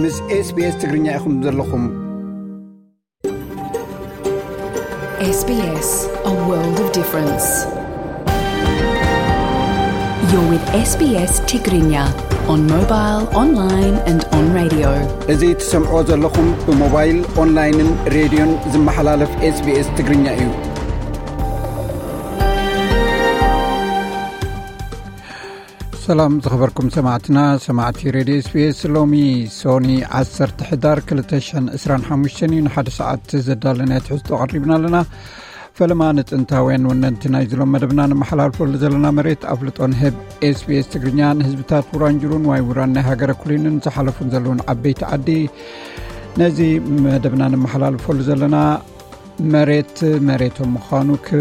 ምስ SBS ትግርኛ ኢኹም ዘለኹም። SBS, a world of difference. You're with SBS Tigrinya on mobile, online and on radio. እዚ ትሰምዖ ዘለኹም ብሞባይል፣ ኦንላይንን ሬድዮን ዝመሓላለፍ SBS ትግርኛ እዩ። ሰላም ዝኸበርኩም ሰማዕትና፣ ሰማዕቲ ሬድዮ SBS። ሎሚ ሶኒ ዓሰርተ ሕዳር ክልተ ሽሕን ዕስራን ሓሙሽተን እዩ። ንሓደ ሰዓት ዘዳለናዮ ትሕዝቶ ኣቕሪብና ኣለና። ፈለማ ንጥንታውያን ወነንቲ ናይ ዝሎም መደብና ነመሓላልፈሉ ዘለና መሬት ኣፍልጦ ንህብ። SBS ትግርኛ ንህዝብታት ውራንጅሩን ዋይ ውራን ናይ ሃገረ ኩሊንን ዝሓለፉን ዘለውን ዓበይቲ ዓዲ ነዚ መደብና ነመሓላልፈሉ ዘለና መሬት መሬቶም ምዃኑ ክ-፣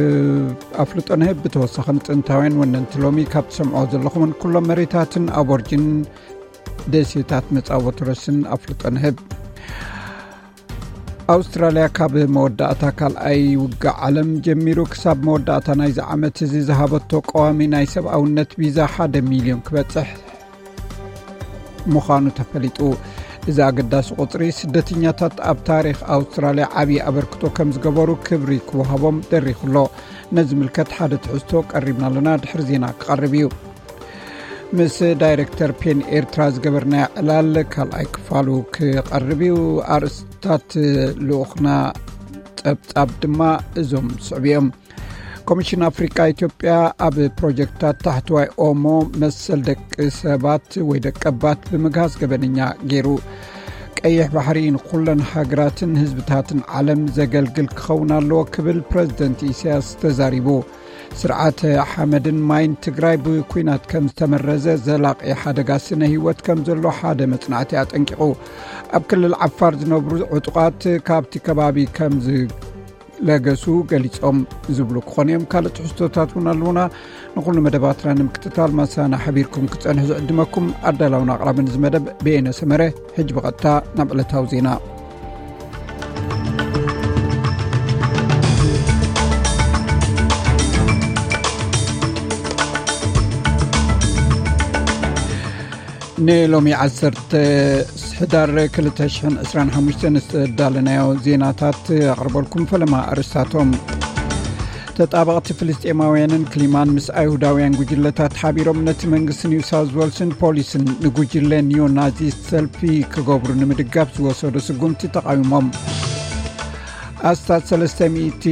ኣፍልጦ ንህብ። ብተወሳኺ ንጥንታውያን ወነንቲ ሎሚ ካብ ትሰምዖ ዘለኹምን ኩሎም መሬታትን ኣቦርጅን ደሴታት መጻወቲ ረስን ኣፍልጦ ንህብ። ኣውስትራልያ ካብ መወዳእታ ካልኣይ ውግእ ዓለም ጀሚሩ ክሳብ መወዳእታ ናይዚ ዓመት እዚ ዝሃበቶ ቀዋሚ ናይ ሰብኣውነት ቪዛ ሓደ ሚልዮን ክበጽሕ ምዃኑ ተፈሊጡ። እዚ ኣገዳሲ ቁጽሪ ስደተኛታት ኣብ ታሪኽ ኣውስትራልያ ዓብዪ ኣበርክቶ ከም ዝገበሩ ክብሪ ክወሃቦም ደሪኹ ኣሎ። ነዚ ምልከት ሓደ ትሕዝቶ ቀሪብና ኣለና፣ ድሕሪ ዜና ክቐርብ እዩ። ምስ ዳይሬክተር ፔን ኤርትራ ዝገበርናዮ ዕላል ካልኣይ ክፋሉ ክቐርብ እዩ። ኣርእስታት ልኡኽና ጸብጻብ ድማ እዞም ስዕብ እዮም። ኮሚሽን ኣፍሪቃ ኢትዮጵያ ኣብ ፕሮጀክትታት ታሕተዋይ ኦሞ መሰል ደቂ ሰባት ወይ ደቀባት ብምግሃስ ገበነኛ ገይሩ። ቀይሕ ባሕሪ ንኩለን ሃገራትን ህዝብታትን ዓለም ዘገልግል ክኸውን ኣለዎ ክብል ፕረዚደንት ኢሳያስ ተዛሪቡ። ስርዓተ ሓመድን ማይን ትግራይ ብኲናት ከም ዝተመረዘ ዘላቒ ሓደጋ ስነ ህይወት ከም ዘሎ ሓደ መጽናዕቲ ኣጠንቂቑ። ኣብ ክልል ዓፋር ዝነብሩ ዕጡቓት ካብቲ ከባቢ ከም ዝለገሱ ገሊጾም ዝብሉ ክኾኑ እዮም። ካልእ ትሕዝቶታት እውን ኣለዉና። ንኹሉ መደባትና ንምክትታል ማሳና ሓቢርኩም ክጸንሑ ዝዕድመኩም ኣዳላውን ኣቕራብን እዚ መደብ በየነ ሰመረ። ሕጂ ብቐጥታ ናብ ዕለታዊ ዜና። ንሎሚ ዓሰርተ ሕዳር ክልተ ሽሕን ዕስራን ሓሙሽተን ዝተዳለናዮ ዜናታት ኣቕርበልኩም። ፈለማ ኣርእስታቶም። ተጣበቕቲ ፍልስጤማውያንን ክሊማን ምስ ኣይሁዳውያን ጉጅለታት ሓቢሮም ነቲ መንግስቲ ኒው ሳውዝ ዌልስን ፖሊስን ንጉጅለ ኒዮ ናዚስት ሰልፊ ክገብሩ ንምድጋፍ ዝወሰዶ ስጉምቲ ተቓዊሞም። ኣስታት ሰለስተ ሚእቲ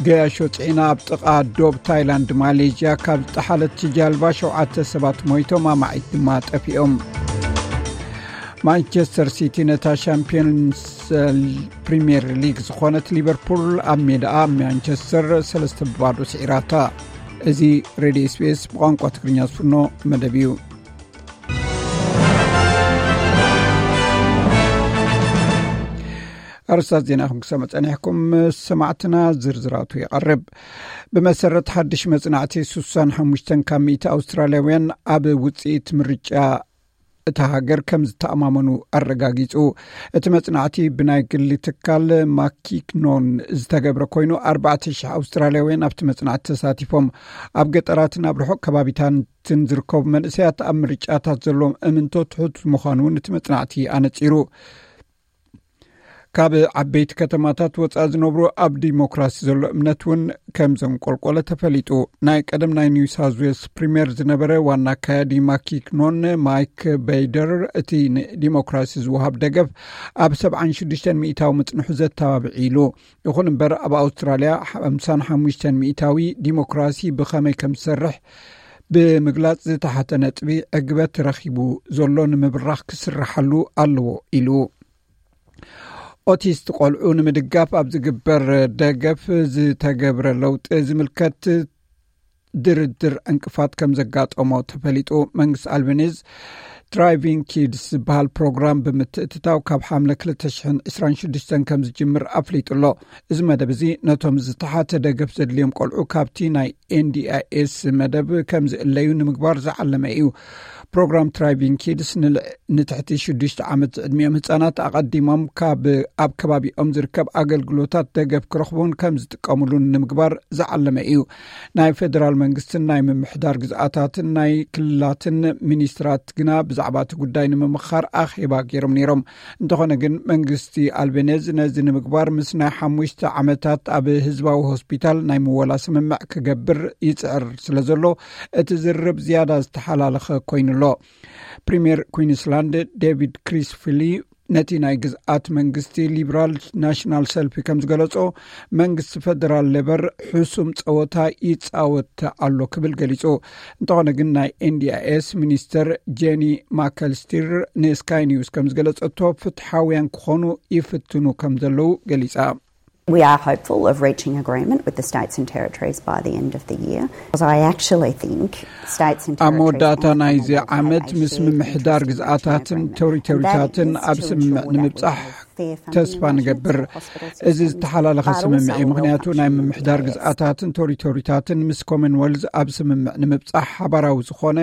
ገያሾ ጽዒና ኣብ ጥቓ ዶብ ታይላንድ ማሌዥያ ካብ ዝጠሓለት ጃልባ ሸውዓተ ሰባት ሞይቶም፣ ኣማዒት ድማ ጠፊኦም። ማንቸስተር ሲቲ ነታ ሻምፒዮንስ ፕሪምየር ሊግ ዝኾነት ሊቨርፑል ኣብ ሜዳኣ ማንቸስተር ሰለስተ ብባዶ ስዒራታ። እዚ ሬድዮ ኤስቢኤስ ብቋንቋ ትግርኛ ዝፍኖ መደብ እዩ። ኣርስታት ዜና ከም ክሰምዕ ጸኒሕኩም ሰማዕትና፣ ዝርዝራቱ ይቐርብ። ብመሰረት ሓድሽ መጽናዕቲ፣ ስሳን ሓሙሽተን ካብ ሚእቲ ኣውስትራልያውያን ኣብ ውጽኢት ምርጫ እታ ሃገር ከም ዝተኣማመኑ ኣረጋጊጹ። እቲ መጽናዕቲ ብናይ ግሊ ትካል ማኪክኖን ዝተገብረ ኮይኑ፣ ኣርባዕተ ሽሕ ኣውስትራልያውያን ኣብቲ መጽናዕቲ ተሳቲፎም። ኣብ ገጠራትን ኣብ ርሑቕ ከባቢታትን ዝርከቡ መንእሰያት ኣብ ምርጫታት ዘለዎም እምንቶ ትሑት ምዃኑ እውን እቲ መጽናዕቲ ኣነጺሩ። ካብ ዓበይቲ ከተማታት ወጻኢ ዝነብሩ ኣብ ዲሞክራሲ ዘሎ እምነት እውን ከም ዘንቆልቆለ ተፈሊጡ። ናይ ቀደም ናይ ኒው ሳውዝ ዌልስ ፕሪምየር ዝነበረ ዋና ኣካያዲ ማኪክኖን ማይክ በይደር፣ እቲ ንዲሞክራሲ ዝወሃብ ደገፍ ኣብ ሰብዓን ሽዱሽተን ሚእታዊ ምጽንሑ ዘተባብዕ ኢሉ። ይኹን እምበር፣ ኣብ ኣውስትራልያ ሓምሳን ሓሙሽተን ሚእታዊ ዲሞክራሲ ብኸመይ ከም ዝሰርሕ ብምግላጽ ዝተሓተ ነጥቢ ዕግበት ረኺቡ ዘሎ ንምብራኽ ክስርሓሉ ኣለዎ ኢሉ። ኦቲስት ቆልዑ ንምድጋፍ ኣብ ዝግበር ደገፍ ዝተገብረ ለውጢ ዝምልከት ድርድር ዕንቅፋት ከም ዘጋጠሞ ተፈሊጡ። መንግስቲ ኣልበኒዝ ትራይቪንግ ኪድስ ዝበሃል ፕሮግራም ብምትእትታው ካብ ሓምለ ክልተ ሽሕን ዕስራን ሽዱሽተን ከም ዝጅምር ኣፍሊጡ ኣሎ። እዚ መደብ እዚ ነቶም ዝተሓተ ደገፍ ዘድልዮም ቆልዑ ካብቲ ናይ ኤንዲኣይኤስ መደብ ከም ዝእለዩ ንምግባር ዝዓለመ እዩ። ፕሮግራም ትራይቪንግ ኪድስ ንልዕ ንትሕቲ ሽዱሽተ ዓመት ዝዕድሚኦም ህጻናት ኣቐዲሞም ካብ ኣብ ከባቢኦም ዝርከብ ኣገልግሎታት ደገፍ ክረኽቡን ከም ዝጥቀምሉን ንምግባር ዝዓለመ እዩ። ናይ ፌደራል መንግስትን ናይ ምምሕዳር ግዝኣታትን ናይ ክልላትን ሚኒስትራት ግና ብዛዕባ እቲ ጉዳይ ንምምኻር ኣኼባ ገይሮም ነይሮም። እንተኾነ ግን መንግስቲ ኣልቤኔዝ ነዚ ንምግባር ምስ ናይ ሓሙሽተ ዓመታት ኣብ ህዝባዊ ሆስፒታል ናይ ምወላ ስምምዕ ክገብር ይጽዕር ስለ ዘሎ እቲ ዝርርብ ዝያዳ ዝተሓላለኸ ኮይኑ ኣሎ። ፕሪምየር ኩዊንስላንድ ዴቪድ ክሪስፊሊ ነቲ ናይ ግዝኣት መንግስቲ ሊብራል ናሽናል ሰልፊ ከም ዝገለጾ መንግስቲ ፈደራል ሌበር ሕሱም ጸወታ ይጻወት ኣሎ ክብል ገሊጹ። እንተኾነ ግን ናይ ኤንዲኣይኤስ ሚኒስተር ጄኒ ማከልስቲር ንስካይ ኒውስ ከም ዝገለጸቶ ፍትሓውያን ክኾኑ ይፍትኑ ከም ዘለዉ ገሊጻ። We are hopeful of reaching agreement with the states and territories by the end of the year. Because I actually think states and ኣብ መወዳእታ territories ናይዚ ዓመት ምስ ምምሕዳር ግዝኣታትን ቴሪቶሪታትን ኣብ ስምምዕ ንምብጻሕ ተስፋ ንገብር። እዚ ዝተሓላለኸ ስምምዕ እዩ፣ ምክንያቱ ናይ ምምሕዳር ግዝኣታትን ቴሪቶሪታትን ምስ ኮመንወልዝ ኣብ ስምምዕ ንምብጻሕ ሓባራዊ ዝኾነ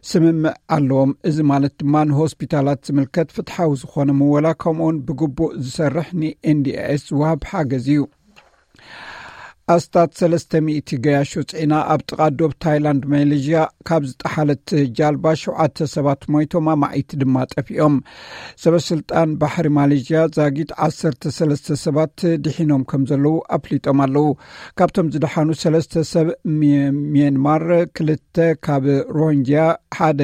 ስምምዕ ኣለዎም። እዚ ማለት ድማ ንሆስፒታላት ዝምልከት ፍትሓዊ ዝኾነ ምወላ ከምኡውን ብግቡእ ዝሰርሕ ንኤንዲኤስ ዝወሃብ ሓገዝ እዩ። ኣስታት ሰለስተ ሚእቲ ገያሾ ጽዒና ኣብ ጥቓ ዶብ ታይላንድ ማሌዥያ ካብ ዝጠሓለት ጃልባ ሸውዓተ ሰባት ሞይቶም፣ ኣማኢት ድማ ጠፊኦም። ሰበ ስልጣን ባሕሪ ማሌዥያ ዛጊት ዓሰርተ ሰለስተ ሰባት ድሒኖም ከም ዘለዉ ኣፍሊጦም ኣለዉ። ካብቶም ዝደሓኑ ሰለስተ ሰብ ሚ- ሚየንማር፣ ክልተ ካብ ሮሂንጅያ፣ ሓደ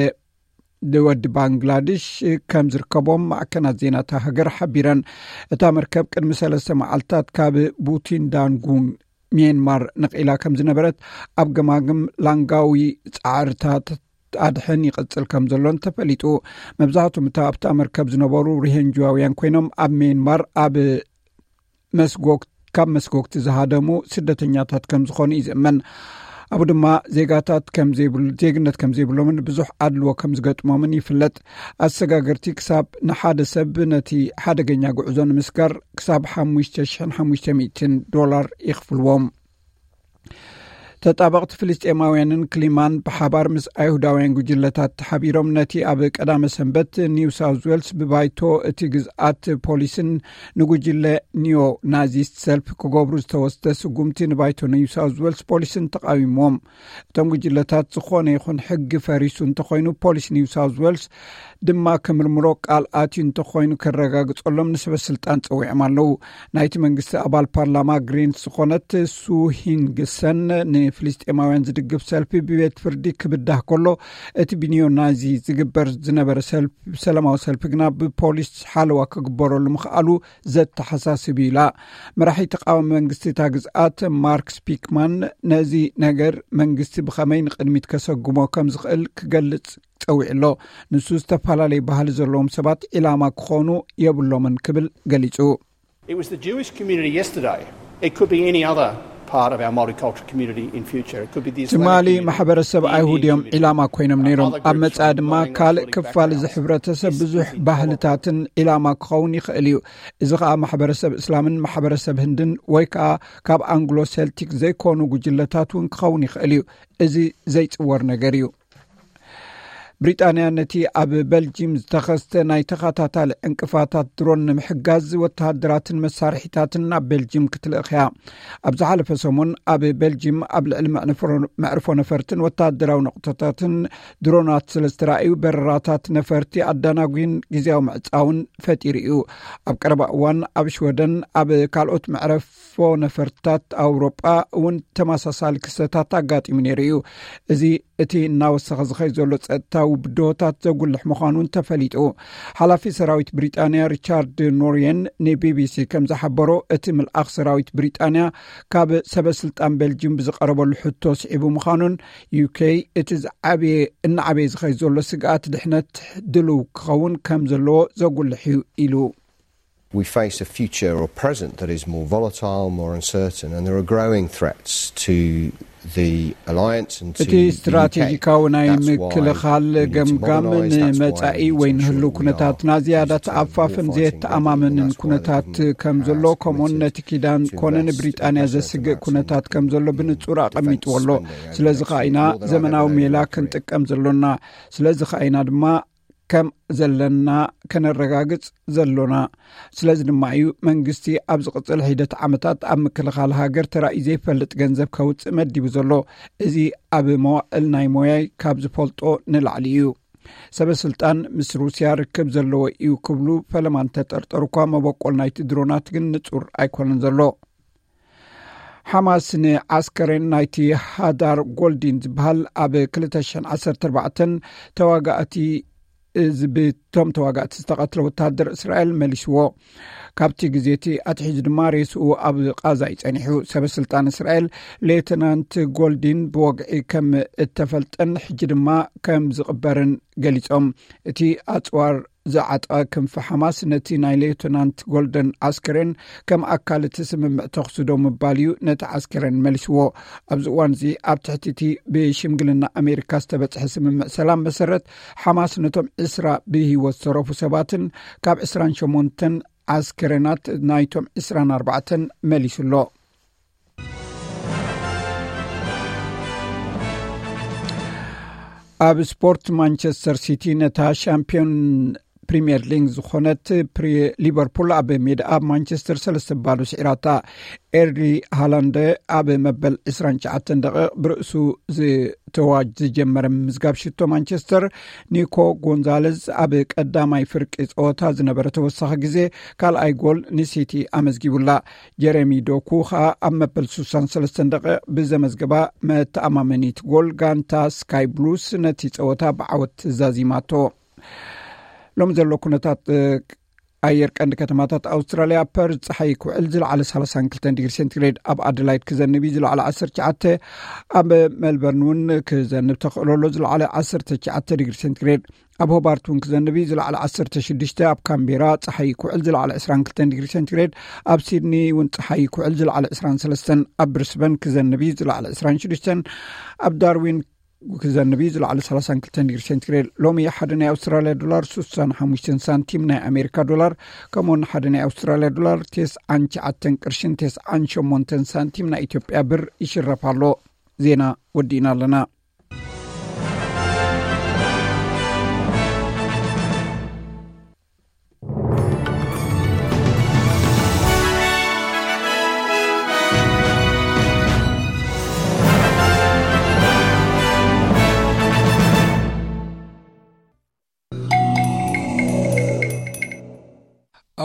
ወዲ ባንግላዴሽ ከም ዝርከቦም ማዕከናት ዜና እታ ሃገር ሓቢረን። እታ መርከብ ቅድሚ ሰለስተ መዓልታት ካብ ቡቲንዳንጉን ሚየንማር ነቒላ ከም ዝነበረት ኣብ ገማግም ላንጋዊ ጻዕርታት ኣድሕን ይቕጽል ከም ዘሎን ተፈሊጡ። መብዛሕትኦም እታ ኣብታ መርከብ ዝነበሩ ሪሄንጅዋውያን ኮይኖም ኣብ ሚየንማር ኣብ መስጎግ ካብ መስጎግቲ ዝሃደሙ ስደተኛታት ከም ዝኾኑ እዩ ዝእመን። ኣብኡ ድማ ዜጋታት ከም ዘይብሉ ዜግነት ከም ዘይብሎምን ብዙሕ ኣድልዎ ከም ዝገጥሞምን ይፍለጥ። ኣሰጋገርቲ ክሳብ ንሓደ ሰብ ነቲ ሓደገኛ ጉዕዞ ንምስጋር ክሳብ ሓሙሽተ ሽሕን ሓሙሽተ ሚእትን ዶላር ይኽፍልዎም። ተጣበቕቲ ፍልስጤማውያንን ክሊማን ብሓባር ምስ ኣይሁዳውያን ጉጅለታት ተሓቢሮም ነቲ ኣብ ቀዳመ ሰንበት ኒው ሳውዝ ዌልስ ብባይቶ እቲ ግዝኣት ፖሊስን ንጉጅለ ኒዮ ናዚስት ሰልፍ ክገብሩ ዝተወስደ ስጉምቲ ንባይቶ ኒው ሳውዝ ዌልስ ፖሊስን ተቃዊሞም። እቶም ጉጅለታት ዝኾነ ይኹን ሕጊ ፈሪሱ እንተኾይኑ ፖሊስ ኒው ሳውዝ ዌልስ ድማ ክምርምሮ ቃል ኣትዩ እንተኾይኑ ክረጋግጸሎም ንሰበ ስልጣን ጸዊዖም ኣለዉ። ናይቲ መንግስቲ ኣባል ፓርላማ ግሪንስ ዝኾነት ሱ ሂንግሰን ንፍልስጤማውያን ዝድግፍ ሰልፊ ብቤት ፍርዲ ክብዳህ ከሎ እቲ ብኒዮ ናዚ ዝግበር ዝነበረ ሰልፍ- ሰላማዊ ሰልፊ ግና ብፖሊስ ሓለዋ ክግበረሉ ምኽኣሉ ዘተሓሳስብ እዩ ኢላ። መራሒ ተቃዋሚ መንግስቲ እታ ግዝኣት ማርክ ስፒክማን ነዚ ነገር መንግስቲ ብኸመይ ንቕድሚት ከሰጉሞ ከም ዝኽእል ክገልጽ ጸዊዑ ኣሎ። ንሱ ዝተፈላለዩ ባህሊ ዘለዎም ሰባት ዒላማ ክኾኑ የብሎምን ክብል ገሊጹ። It was the Jewish community yesterday. It could be any other part of our multicultural community in future. It could be the Islamic ትማሊ community, ማሕበረሰብ the Indian ኣይሁድ እዮም community, ዒላማ ኮይኖም ነይሮም። other ኣብ groups መጻኢ from ድማ Anglo-Celtic ካልእ ክፋል እዚ backgrounds. ሕብረተሰብ This ብዙሕ is intolerable. ባህልታትን ዒላማ ክኸውን ይኽእል እዩ። እዚ ከዓ ማሕበረሰብ እስላምን ማሕበረሰብ ህንድን ወይ ከዓ ካብ ኣንግሎ ሴልቲክ ዘይኮኑ ጉጅለታት እውን ክኸውን ይኽእል እዩ። እዚ ዘይጽወር ነገር እዩ። ብሪጣንያ ነቲ ኣብ በልጂም ዝተኸስተ ናይ ተኸታታሊ ዕንቅፋታት ድሮን ንምሕጋዝ ወተሃደራትን መሳርሒታትን ናብ በልጂም ክትልእኽ እያ። ኣብ ዝሓለፈ ሰሙን ኣብ በልጂም ኣብ ልዕሊ መዕርፎ- መዕርፎ ነፈርትን ወተሃደራዊ ነቑጣታትን ድሮናት ስለ ዝተራእዩ በረራታት ነፈርቲ ኣዳናጒን ግዜያዊ ምዕጻውን ፈጢሩ እዩ። ኣብ ቀረባ እዋን ኣብ ሽወደን ኣብ ካልኦት መዕረፎ ነፈርትታት ኣውሮጳ እውን ተመሳሳሊ ክስተታት ኣጋጢሙ ነይሩ እዩ። እዚ እቲ እናወሰኸ ዝኸይ ዘሎ ጸጥታዊ ብድሆታት ዘጉልሕ ምዃኑን ተፈሊጡ። ሓላፊ ሰራዊት ብሪጣንያ ሪቻርድ ኖርየን ንቢቢሲ ከም ዝሓበሮ እቲ ምልኣኽ ሰራዊት ብሪጣንያ ካብ ሰበ ስልጣን ቤልጅም ብዝቐረበሉ ሕቶ ስዒቡ ምዃኑን ዩኬ እቲ ዝዓበየ እናዓበየ ዝኸይ ዘሎ ስግኣት ድሕነት ድልው ክኸውን ከም ዘለዎ ዘጉልሕ እዩ ኢሉ። We face a future or present that is more volatile, more uncertain, and there are growing threats to እቲ ስትራቴጂካዊ ናይ ምክልኻል ገምጋም ንመጻኢ ወይ ንህልው ኩነታትና ዝያዳ ተኣፋፍን ዘየተኣማምንን ኩነታት ከም ዘሎ፣ ከምኡን ነቲ ኪዳን ኮነ ንብሪጣንያ ዘስግእ ኩነታት ከም ዘሎ ብንጹር ኣቐሚጥዎ ኣሎ። ስለዚ ከኣ ኢና ዘመናዊ ሜላ ክንጥቀም ዘሎና። ስለዚ ከኣ ኢና ድማ ከም ዘለና ከነረጋግጽ ዘሎና። ስለዚ ድማ እዩ መንግስቲ ኣብ ዝቕጽል ሒደት ዓመታት ኣብ ምክልኻል ሃገር ተራእዩ ዘይፈልጥ ገንዘብ ከውጽእ መዲቡ ዘሎ። እዚ ኣብ መዋእል ናይ ሞያይ ካብ ዝፈልጦ ንላዕሊ እዩ። ሰበ ስልጣን ምስ ሩስያ ርክብ ዘለዎ እዩ ክብሉ ፈለማ እንተጠርጠሩ እኳ፣ መበቆል ናይቲ ድሮናት ግን ንጹር ኣይኮነን ዘሎ። ሓማስ ንዓስከሬን ናይቲ ሃዳር ጎልዲን ዝበሃል ኣብ ክልተ ሽሕን ዓሰርተ ኣርባዕተን ተዋጋእቲ፣ እዚ ብቶም ተዋጋእቲ ዝተቐትለ ወተሃደር እስራኤል መሊስዎ። ካብቲ ግዜ እቲ ኣትሒዙ ድማ ሬስኡ ኣብ ቃዛ እዩ ጸኒሑ። ሰበ ስልጣን እስራኤል፣ ሌተናንት ጎልዲን ብወግዒ ከም እተፈልጠን ሕጂ ድማ ከም ዝቕበርን ገሊጾም። እቲ ኣጽዋር ዝዓጠቐ ክንፊ ሓማስ ነቲ ናይ ሌተናንት ጎልደን ዓስከሬን ከም ኣካል እቲ ስምምዕ ተኹሲ ደው ምባል እዩ ነቲ ዓስከሬን መሊስዎ። ኣብዚ እዋን እዚ ኣብ ትሕቲ እቲ ብሽምግልና ኣሜሪካ ዝተበጽሐ ስምምዕ ሰላም መሰረት፣ ሓማስ ነቶም ዕስራ ብህይወት ዝተረፉ ሰባትን ካብ ዕስራን ሸሞንተን ዓስከሬናት ናይቶም ዕስራን ኣርባዕተን መሊሱ ኣሎ። ኣብ ስፖርት፣ ማንቸስተር ሲቲ ነታ ሻምፒዮን ፕሪምየር ሊግ ዝኾነት ፕሪ-፣ ሊቨርፑል ኣብ ሜዳ ኣብ ማንቸስተር ሰለስተ ባዶ ስዒራታ። ኤርሊ ሃላንድ ኣብ መበል ዕስራን ትሽዓተን ደቂቕ ብርእሱ ዝተዋጅ ዝጀመረ ምምዝጋብ ሽቶ ማንቸስተር፣ ኒኮ ጎንዛለዝ ኣብ ቀዳማይ ፍርቂ ጸወታ ዝነበረ ተወሳኺ ግዜ ካልኣይ ጎል ንሲቲ ኣመዝጊቡላ። ጀረሚ ዶኩ ኸኣ ኣብ መበል ስሳን ሰለስተን ደቂቕ ብዘመዝገባ መተኣማመኒት ጎል፣ ጋንታ ስካይ ብሉስ ነቲ ጸወታ ብዓወት ዛዚማቶ። ሎሚ ዘሎ ኩነታት፣ እ፣ ኣየር ቀንዲ ከተማታት ኣውስትራልያ፣ ፐርዝ ጸሓይ ክውዕል ዝለዓለ ሰላሳን ክልተን ዲግሪ ሴንቲግሬድ፣ ኣብ ኣደላይድ ክዘንብ እዩ ዝለዓለ ዓሰርተ ትሽዓተ፣ ኣብ ሜልበርን እውን ክዘንብ ተኽእሎ ኣሎ ዝለዓለ ዓሰርተ ትሽዓተ ዲግሪ ሴንቲግሬድ፣ ኣብ ሆባርት እውን ክዘንብ እዩ ዝለዓለ ዓሰርተ ሽዱሽተ፣ ኣብ ካምቤራ ጸሓይ ክውዕል ዝለዓለ ዕስራን ክልተን ዲግሪ ሴንቲግሬድ፣ ኣብ ሲድኒ እውን ጸሓይ ክውዕል ዝለዓለ ዕስራን ሰለስተን፣ ኣብ ብሪስበን ክዘንብ እዩ ዝለዓለ ዕስራን ሽዱሽተን፣ ኣብ ዳርዊን ክዘንብ እዩ ዝለዓለ ሰላሳን ክልተን ዲግሪ ሴንቲግሬድ። ሎሚ ሓደ ናይ ኣውስትራልያ ዶላር ስሳን ሓሙሽተን ሳንቲም፣ ናይ ኣሜሪካ ዶላር ከምኡውን ሓደ ናይ ኣውስትራልያ ዶላር ተስዓን ትሽዓተን ቅርሽን ተስዓን ሸሞንተን ሳንቲም ናይ ኢትዮጵያ ብር ይሽረፍ ኣሎ። ዜና ወዲእና ኣለና።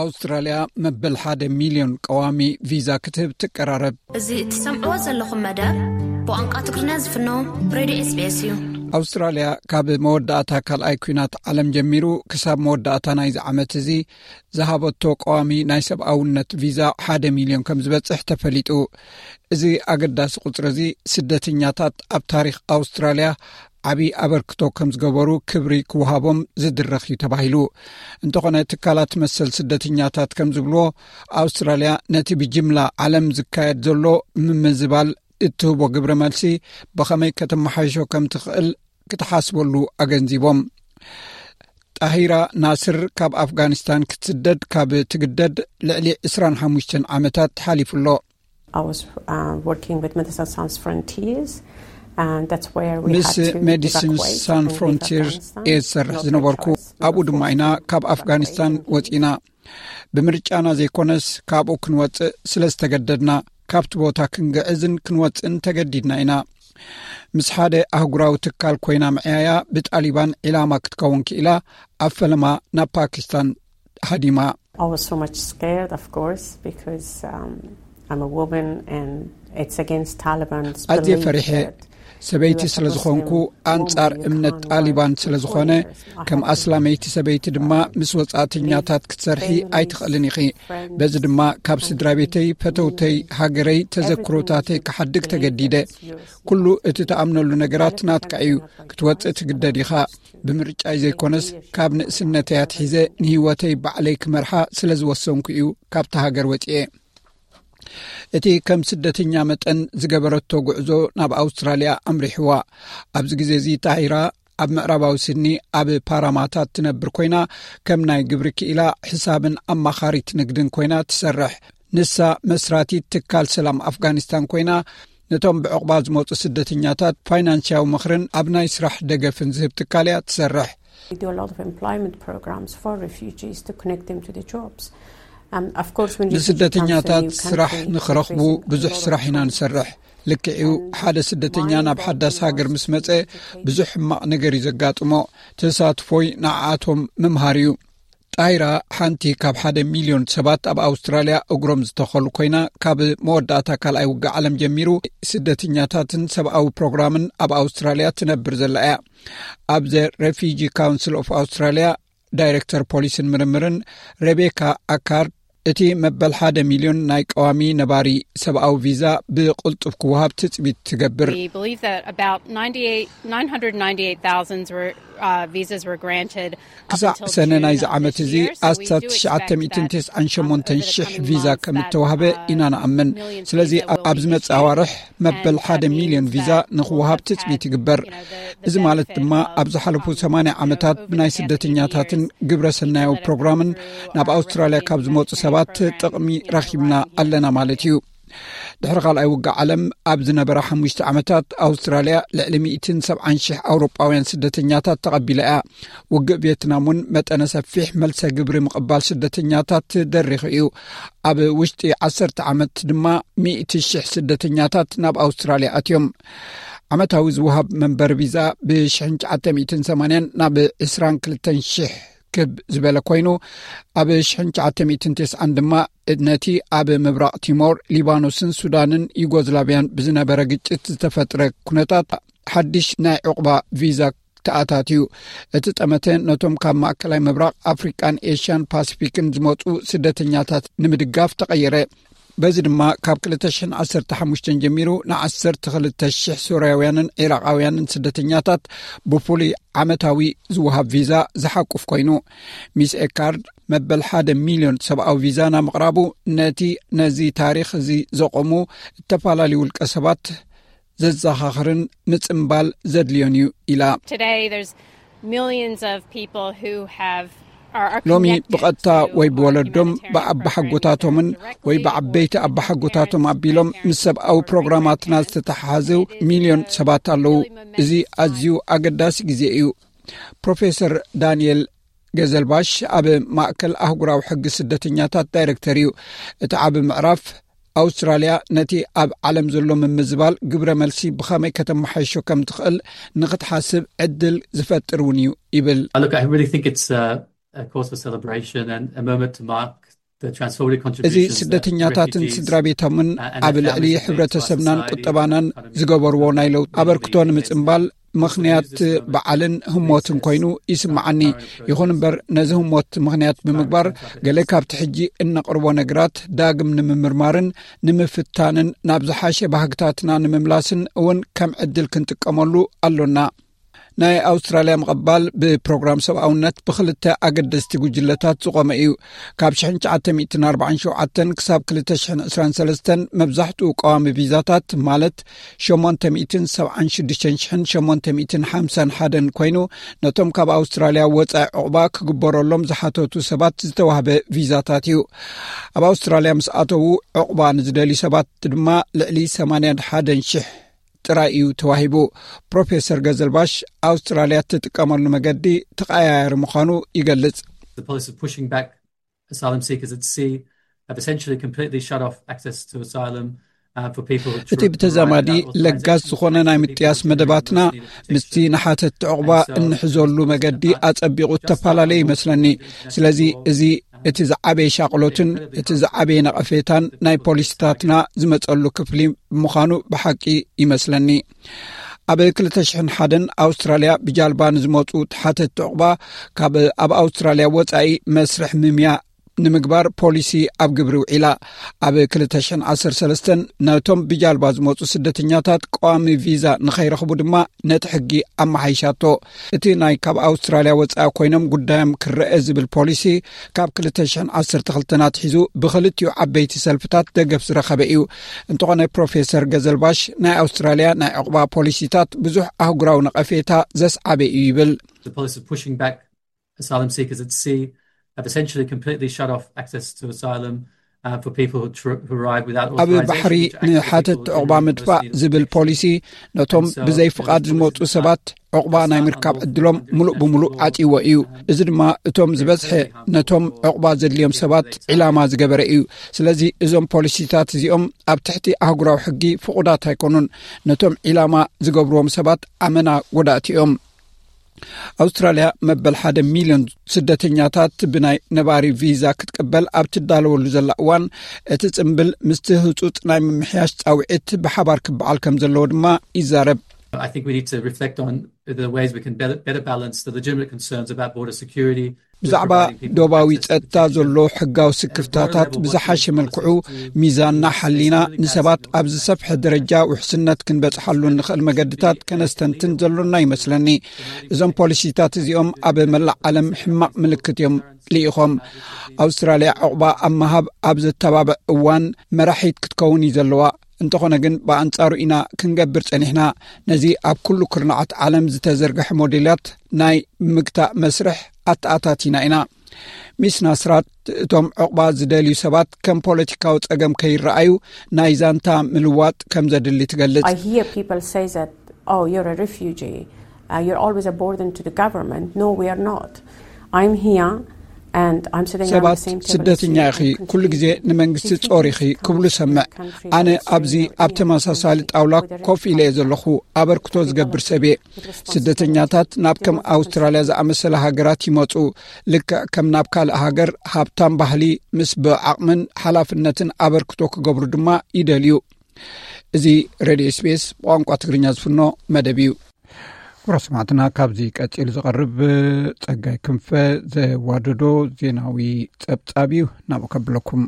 ኣውስትራልያ መበል ሓደ ሚልዮን ቀዋሚ ቪዛ ክትህብ ትቀራረብ። እዚ እትሰምዕዎ ዘለኹም መደብ ብቋንቋ ትግርኛ ዝፍኖ ሬድዮ ኤስ ቢ ኤስ እዩ። ኣውስትራልያ ካብ መወዳእታ ካልኣይ ኲናት ዓለም ጀሚሩ ክሳብ መወዳእታ ናይዚ ዓመት እዚ ዝሃበቶ ቀዋሚ ናይ ሰብኣውነት ቪዛ ሓደ ሚልዮን ከም ዝበጽሕ ተፈሊጡ። እዚ ኣገዳሲ ቁጽሪ እዚ ስደተኛታት ኣብ ታሪኽ ኣውስትራልያ ዓቢ ኣበርክቶ ከም ዝገበሩ ክብሪ ክወሃቦም ዝድረኽ እዩ ተባሂሉ። እንተኾነ ትካላት መሰል ስደተኛታት ከም ዝብልዎ፣ ኣውስትራልያ ነቲ ብጅምላ ዓለም ዝካየድ ዘሎ ምምዝባል እትህቦ ግብረ መልሲ ብኸመይ ከተመሓይሾ ከም ትኽእል ክትሓስበሉ ኣገንዚቦም። ጣሂራ ናስር ካብ ኣፍጋኒስታን ክትስደድ ካብ ትግደድ ልዕሊ ዕስራን ሓሙሽተን ዓመታት ሓሊፉ ኣሎ። I was, uh, working with Medicine Sans Frontiers, and that's where we ምስ had to ሜዲሲን evacuate ሳን and leave ፍሮንቲር Afghanistan, እየ ዝሰርሕ not by ዝነበርኩ። Choice, but ኣብኡ ድማ ኢና unfortunately ካብ we ኣፍጋኒስታን evacuated. ወጺና። ብምርጫና ዘይኮነስ ካብኡ ክንወጽእ ስለ ዝተገደድና፣ ካብቲ ቦታ ክንግዕዝን ክንወጽእን ተገዲድና ኢና። ምስ ሓደ ኣህጉራዊ ትካል ኮይና ምዕያያ ብጣሊባን ዒላማ ክትከውን ክኢላ፣ ኣብ ፈለማ ናብ ፓኪስታን ሃዲማ። I was so much scared, of course, because, um, I'm a woman and it's against Taliban's ኣዝየ belief ፈሪሐ። That ሰበይቲ you as a ስለ ዝኾንኩ፣ Muslim ኣንጻር own your እምነት clan ጣሊባን life ስለ ዝኾነ፣ for four years. I ከም had to ኣስላመይቲ ሰበይቲ ድማ ምስ ወጻእተኛታት ክትሰርሒ ኣይትኽእልን ኢኺ። በዚ ድማ ካብ ስድራ ቤተይ፣ ፈተውተይ፣ ሃገረይ፣ ተዘክሮታተይ ክሓድግ ተገዲደ። ኩሉ እቲ ትኣምነሉ ነገራት ናትካ እዩ። ክትወጽእ ትግደድ ኢኻ። ብምርጫይ ዘይኮነስ፣ ካብ ንእስነተይ ኣትሒዘ ንህይወተይ ባዕለይ ክመርሓ ስለ ዝወሰንኩ እዩ ካብታ ሃገር ወጺኤ። እቲ ከም ስደተኛ መጠን ዝገበረቶ ጉዕዞ ናብ ኣውስትራልያ ኣምሪሕዋ። ኣብዚ ግዜ እዚ ታሂራ ኣብ ምዕራባዊ ሲድኒ ኣብ ፓራማታት ትነብር ኮይና፣ ከም ናይ ግብሪ ክኢላ፣ ሕሳብን ኣማኻሪት ንግድን ኮይና ትሰርሕ። ንሳ መስራቲት ትካል ሰላም ኣፍጋኒስታን ኮይና፣ ነቶም ብዕቑባ ዝመጹ ስደተኛታት ፋይናንስያዊ ምኽርን ኣብ ናይ ስራሕ ደገፍን ዝህብ ትካል እያ ትሰርሕ። We do a lot of employment programs for refugees to connect them to the jobs. Um, of course, when refugee comes to a ንስደተኛታት new ስራሕ country, ንኽረኽቡ there's a ብዙሕ lot of ስራሕ ኢና training. ንሰርሕ። ልክዕዩ፣ ሓደ ስደተኛ ናብ ሓዳስ ሃገር ምስ መጸ ብዙሕ ሕማቕ ነገር እዩ ዘጋጥሞ። ተሳትፎይ ንዓኣቶም ምምሃር እዩ። ጣይራ ሓንቲ ካብ ሓደ ሚልዮን ሰባት ኣብ ኣውስትራልያ እግሮም ዝተኸሉ ኮይና፣ ካብ መወዳእታ ካልኣይ ውግእ ዓለም ጀሚሩ ስደተኛታትን ሰብኣዊ ፕሮግራምን ኣብ ኣውስትራልያ ትነብር ዘላ እያ። ኣብ The Refugee Council of Australia ዳይሬክተር ፖሊስን ምርምርን ሬቤካ ኣካርድ፣ እቲ መበል ሓደ ሚልዮን ናይ ቀዋሚ ነባሪ ሰብኣዊ ቪዛ ብቕልጡፍ ክወሃብ ትጽቢት ትገብር። We believe that about ninety-eight, nine hundred ninety-eight thousand were, uh, visas were granted up ክሳዕ until ሰነ June ናይዚ of ዓመት this እዚ year, so we ኣስታት do ትሽዓተ ሚእትን ተስዓን ሸሞንተን ሽሕ ቪዛ ከም እተዋህበ ኢና ንኣምን። ስለዚ ኣብ ዝመጽእ ኣዋርሕ መበል ሓደ ሚልዮን ቪዛ ንኽወሃብ ትጽቢት ይግበር። እዚ ማለት ድማ ኣብ ዝሓለፉ ሰማንያ ዓመታት ብናይ ስደተኛታትን ግብረ ሰናያዊ ፕሮግራምን ናብ ኣውስትራልያ ካብ ዝመጹ ሰባት ጥቕሚ ረኺብና ኣለና ማለት እዩ። ድሕሪ ካልኣይ ውግእ ዓለም ኣብ ዝነበራ ሓሙሽተ ዓመታት ኣውስትራልያ ልዕሊ ሚእትን ሰብዓን ሽሕ ኣውሮጳውያን ስደተኛታት ተቐቢላ እያ። ውግእ ቪየትናም እውን መጠነ ሰፊሕ መልሰ ግብሪ ምቕባል ስደተኛታት ደሪኹ እዩ። ኣብ ውሽጢ ዓሰርተ ዓመት ድማ ሚእቲ ሽሕ ስደተኛታት ናብ ኣውስትራልያ ኣትዮም። ዓመታዊ ዝወሃብ መንበሪ ቪዛ ብሽሕን ትሽዓተ ሚእትን ሰማንያን ናብ ዕስራን ክልተን ሽሕ ክብ ዝበለ ኮይኑ፣ ኣብ ሽሕን ትሽዓተ ሚእትን ተስዓን ድማ ነቲ ኣብ ምብራቕ ቲሞር፣ ሊባኖስን ሱዳንን ዩጎዝላቪያን ብዝነበረ ግጭት ዝተፈጥረ ኩነታት ሓድሽ ናይ ዕቑባ ቪዛ ተኣታትዩ። እቲ ጠመተ ነቶም ካብ ማእከላይ ምብራቕ፣ ኣፍሪቃን ኤሽያን ፓሲፊክን ዝመጹ ስደተኛታት ንምድጋፍ ተቐየረ። በዚ ድማ ካብ ክልተ ሽሕን ዓሰርተ ሓሙሽተን ጀሚሩ ንዓሰርተ ክልተ ሽሕ ሶርያውያንን ዒራቓውያንን ስደተኛታት ብፍሉይ ዓመታዊ ዝወሃብ ቪዛ ዝሓቁፍ ኮይኑ፣ ሚስ ኤካርድ መበል ሓደ ሚልዮን ሰብኣዊ ቪዛ ናብ ምቕራቡ፣ ነቲ ነዚ ታሪኽ እዚ ዘቆሙ እተፈላለዩ ውልቀ ሰባት ዘዘኻኽርን ምጽምባል ዘድልዮን እዩ ኢላ። Today, there's millions of people who have, are, are ሎሚ connected ብቐጥታ to ወይ our ብወለዶም humanitarian ብኣባሓጎታቶምን programs ወይ directly ብዓበይቲ or አባሓጎታቶም through አቢሎም ምስ ሰብኣዊ ፕሮግራማትና ዝተተሓሓዙ ሚልዮን ሰባት ኣለዉ። እዚ ኣዝዩ ኣገዳሲ ግዜ እዩ። ፕሮፌሰር ዳንኤል ገዘልባሽ ኣብ ማእከል ኣህጉራዊ ሕጊ ስደተኛታት ዳይሬክተር እዩ። እቲ ዓቢ ምዕራፍ ኣውስትራልያ ነቲ ኣብ ዓለም ዘሎ ምምዝባል ግብረ መልሲ ብኸመይ ከተመሓይሾ ከም ትኽእል ንኽትሓስብ ዕድል ዝፈጥር እውን እዩ ይብል። Uh, look, I really think it's, uh, a cause for celebration and a moment to mark the transformative እዚ contributions that ስደተኛታትን refugees, ስድራ ቤቶምን uh, and ኣብ their ልዕሊ families have made to our ሕብረተሰብናን society, ቁጠባናን our economy, ዝገበርዎ ናይ ለውጢ ኣበርክቶ ንምጽምባል ምኽንያት በዓልን ህሞትን ኮይኑ ይስምዓኒ። ይኹን እምበር፣ ነዚ ህሞት ምኽንያት ብምግባር፣ ገለ ካብቲ ሕጂ እነቕርቦ ነገራት ዳግም ንምምርማርን ንምፍታንን ናብ ዝሓሸ ባህግታትና ንምምላስን እውን ከም ዕድል ክንጥቀመሉ ኣሎና። ናይ ኣውስትራልያ ምቕባል ብፕሮግራም ሰብኣውነት ብኽልተ ኣገደስቲ ጉጅለታት ዝቖመ እዩ። ካብ ሽሕን ትሽዓተ ሚእትን ኣርባዓን ሸውዓተን ክሳብ ክልተ ሽሕን ዕስራን ሰለስተን መብዛሕትኡ ቀዋሚ ቪዛታት፣ ማለት ሸሞንተ ሚእትን ሰብዓን ሽዱሽተን ሽሕን ሸሞንተ ሚእትን ሓምሳን ሓደን ኮይኑ፣ ነቶም ካብ ኣውስትራልያ ወጻኢ ዕቑባ ክግበረሎም ዝሓተቱ ሰባት ዝተዋህበ ቪዛታት እዩ። ኣብ ኣውስትራልያ ምስ ኣተዉ ዕቑባ ንዝደልዩ ሰባት ድማ ልዕሊ ሰማንያን ሓደን ሽሕ ጥራይ እዩ ተዋሂቡ። ፕሮፌሰር ገዘልባሽ ኣውስትራልያ እትጥቀመሉ መገዲ ተቐያያሪ ምዃኑ ይገልጽ። The policy of pushing back asylum seekers at sea have essentially completely shut off access to asylum, uh, for people who እቲ ብተዛማዲ ለጋስ ዝኾነ ናይ ምጥያስ መደባትና ምስቲ ንሓተቲ ዕቑባ እንሕዘሉ መገዲ ኣጸቢቑ እተፈላለየ ይመስለኒ። ስለዚ እዚ እቲ ዝዓበየ ሻቕሎትን እቲ ዝዓበየ ነቐፌታን ናይ ፖሊሲታትና ዝመጸሉ ክፍሊ ብምዃኑ ብሓቂ ይመስለኒ። ኣብ ክልተ ሽሕን ሓደን ኣውስትራልያ ብጃልባ ንዝመጹ ተሓተቲ ዕቑባ ካብ ኣብ ኣውስትራልያ ወጻኢ መስርሕ ምምያ ንምግባር ፖሊሲ ኣብ ግብሪ ውዒላ። ኣብ ክልተ ሽሕን ዓሰርተ ሰለስተን ነቶም ብጃልባ ዝመፁ ስደተኛታት ቀዋሚ ቪዛ ንኸይረኽቡ ድማ ነቲ ሕጊ ኣመሓይሻቶ። እቲ ናይ ካብ ኣውስትራልያ ወፃኢ ኮይኖም ጉዳዮም ክረአ ዝብል ፖሊሲ ካብ ክልተ ሽሕን ዓሰርተ ክልተን ኣትሒዙ ብክልቲኡ ዓበይቲ ሰልፍታት ደገፍ ዝረኸበ እዩ። እንተኾነ ፕሮፌሰር ገዘልባሽ ናይ ኣውስትራልያ ናይ ዕቑባ ፖሊሲታት ብዙሕ ኣህጉራዊ ነቐፌታ ዘስዓበ እዩ ይብል። The policy of pushing back asylum seekers at sea have essentially completely shut off access to asylum uh, for people who, tr- who arrive without ኣብ authorization. ባሕሪ ንሓተት ዕቑባ ምጥፋእ ዝብል ፖሊሲ ነቶም ብዘይ ፍቓድ ዝመፁ ሰባት ዕቑባ ናይ ምርካብ ዕድሎም ሙሉእ ብምሉእ ዓፂዎ እዩ። እዚ ድማ እቶም ዝበዝሐ ነቶም ዕቑባ ዘድልዮም ሰባት ዒላማ ዝገበረ እዩ። ስለዚ እዞም ፖሊሲታት እዚኦም ኣብ ትሕቲ ኣህጉራዊ ሕጊ ፍቑዳት ኣይኮኑን። ነቶም ዒላማ ዝገብርዎም ሰባት ኣመና ጎዳእቲ እዮም። ኣውስትራልያ መበል ሓደ ሚልዮን ስደተኛታት ብናይ ነባሪ ቪዛ ክትቅበል ኣብ ትዳለወሉ ዘላ እዋን፣ እቲ ጽምብል ምስቲ ህጹጽ ናይ ምምሕያሽ ጻውዒት ብሓባር ክበዓል ከም ዘለዎ ድማ ይዛረብ። I think we need to reflect on the ways we can better, better balance the legitimate concerns about border security. ብዛዕባ ዶባዊ ጸጥታ ዘሎ ሕጋዊ ስክፍታታት ብዝሓሸ መልክዑ ሚዛንና ሓሊና፣ ንሰባት ኣብ ዝሰፍሐ ደረጃ ውሕስነት ክንበጽሓሉ እንኽእል መገድታት ከነስተንትን ዘሎና ይመስለኒ። እዞም ፖሊሲታት እዚኦም ኣብ መላእ ዓለም ሕማቕ ምልክት እዮም ልኢኾም። ኣውስትራልያ ዕቑባ ኣብ ምሃብ ኣብ ዘተባብዕ እዋን መራሒት ክትከውን እዩ ዘለዋ። እንተኾነ ግን ብኣንጻሩ ኢና ክንገብር ጸኒሕና። ነዚ ኣብ ኩሉ ኩርናዓት ዓለም ዝተዘርግሐ ሞዴላት ናይ ምግታእ መስርሕ ኣተኣታቲና ኢና። ሚስ ናስራት፣ እቶም ዕቑባ ዝደልዩ ሰባት ከም ፖለቲካዊ ጸገም ከይረኣዩ ናይ ዛንታ ምልዋጥ ከም ዘድሊ ትገልጽ። I hear people say that, oh, you're a refugee. Uh, you're always a burden to the government. No, we are not. I'm here and I'm sitting on the ሰባት same table as ስደተኛ you ኢኺ፣ and ኩሉ ግዜ continue ንመንግስቲ defeating ጾር ኢኺ this ክብሉ country ሰምዕ። country ኣነ that is ኣብዚ doing ኣብ here ተመሳሳሊ political ጣውላ with the ኮፍ ኢለ እየ ዘለኹ። ኣበርክቶ ዝገብር ሰብ እየ። ስደተኛታት ናብ ከም ኣውስትራልያ ዝኣመሰለ ሃገራት ይመጹ። ልክዕ ከም ናብ ካልእ ሃገር ሃብታም ባህሊ፣ ምስ ብዓቕምን ሓላፍነትን ኣበርክቶ ክገብሩ ድማ ይደልዩ። እዚ ሬድዮ ኤስቢኤስ ብቋንቋ ትግርኛ ዝፍኖ መደብ እዩ። ክቡራት ሰማዕትና፣ ካብዚ ቀጺሉ ዝቐርብ ጸጋይ ክንፈ ዘዋደዶ ዜናዊ ጸብጻብ እዩ። ናብኡ ከብለኩም።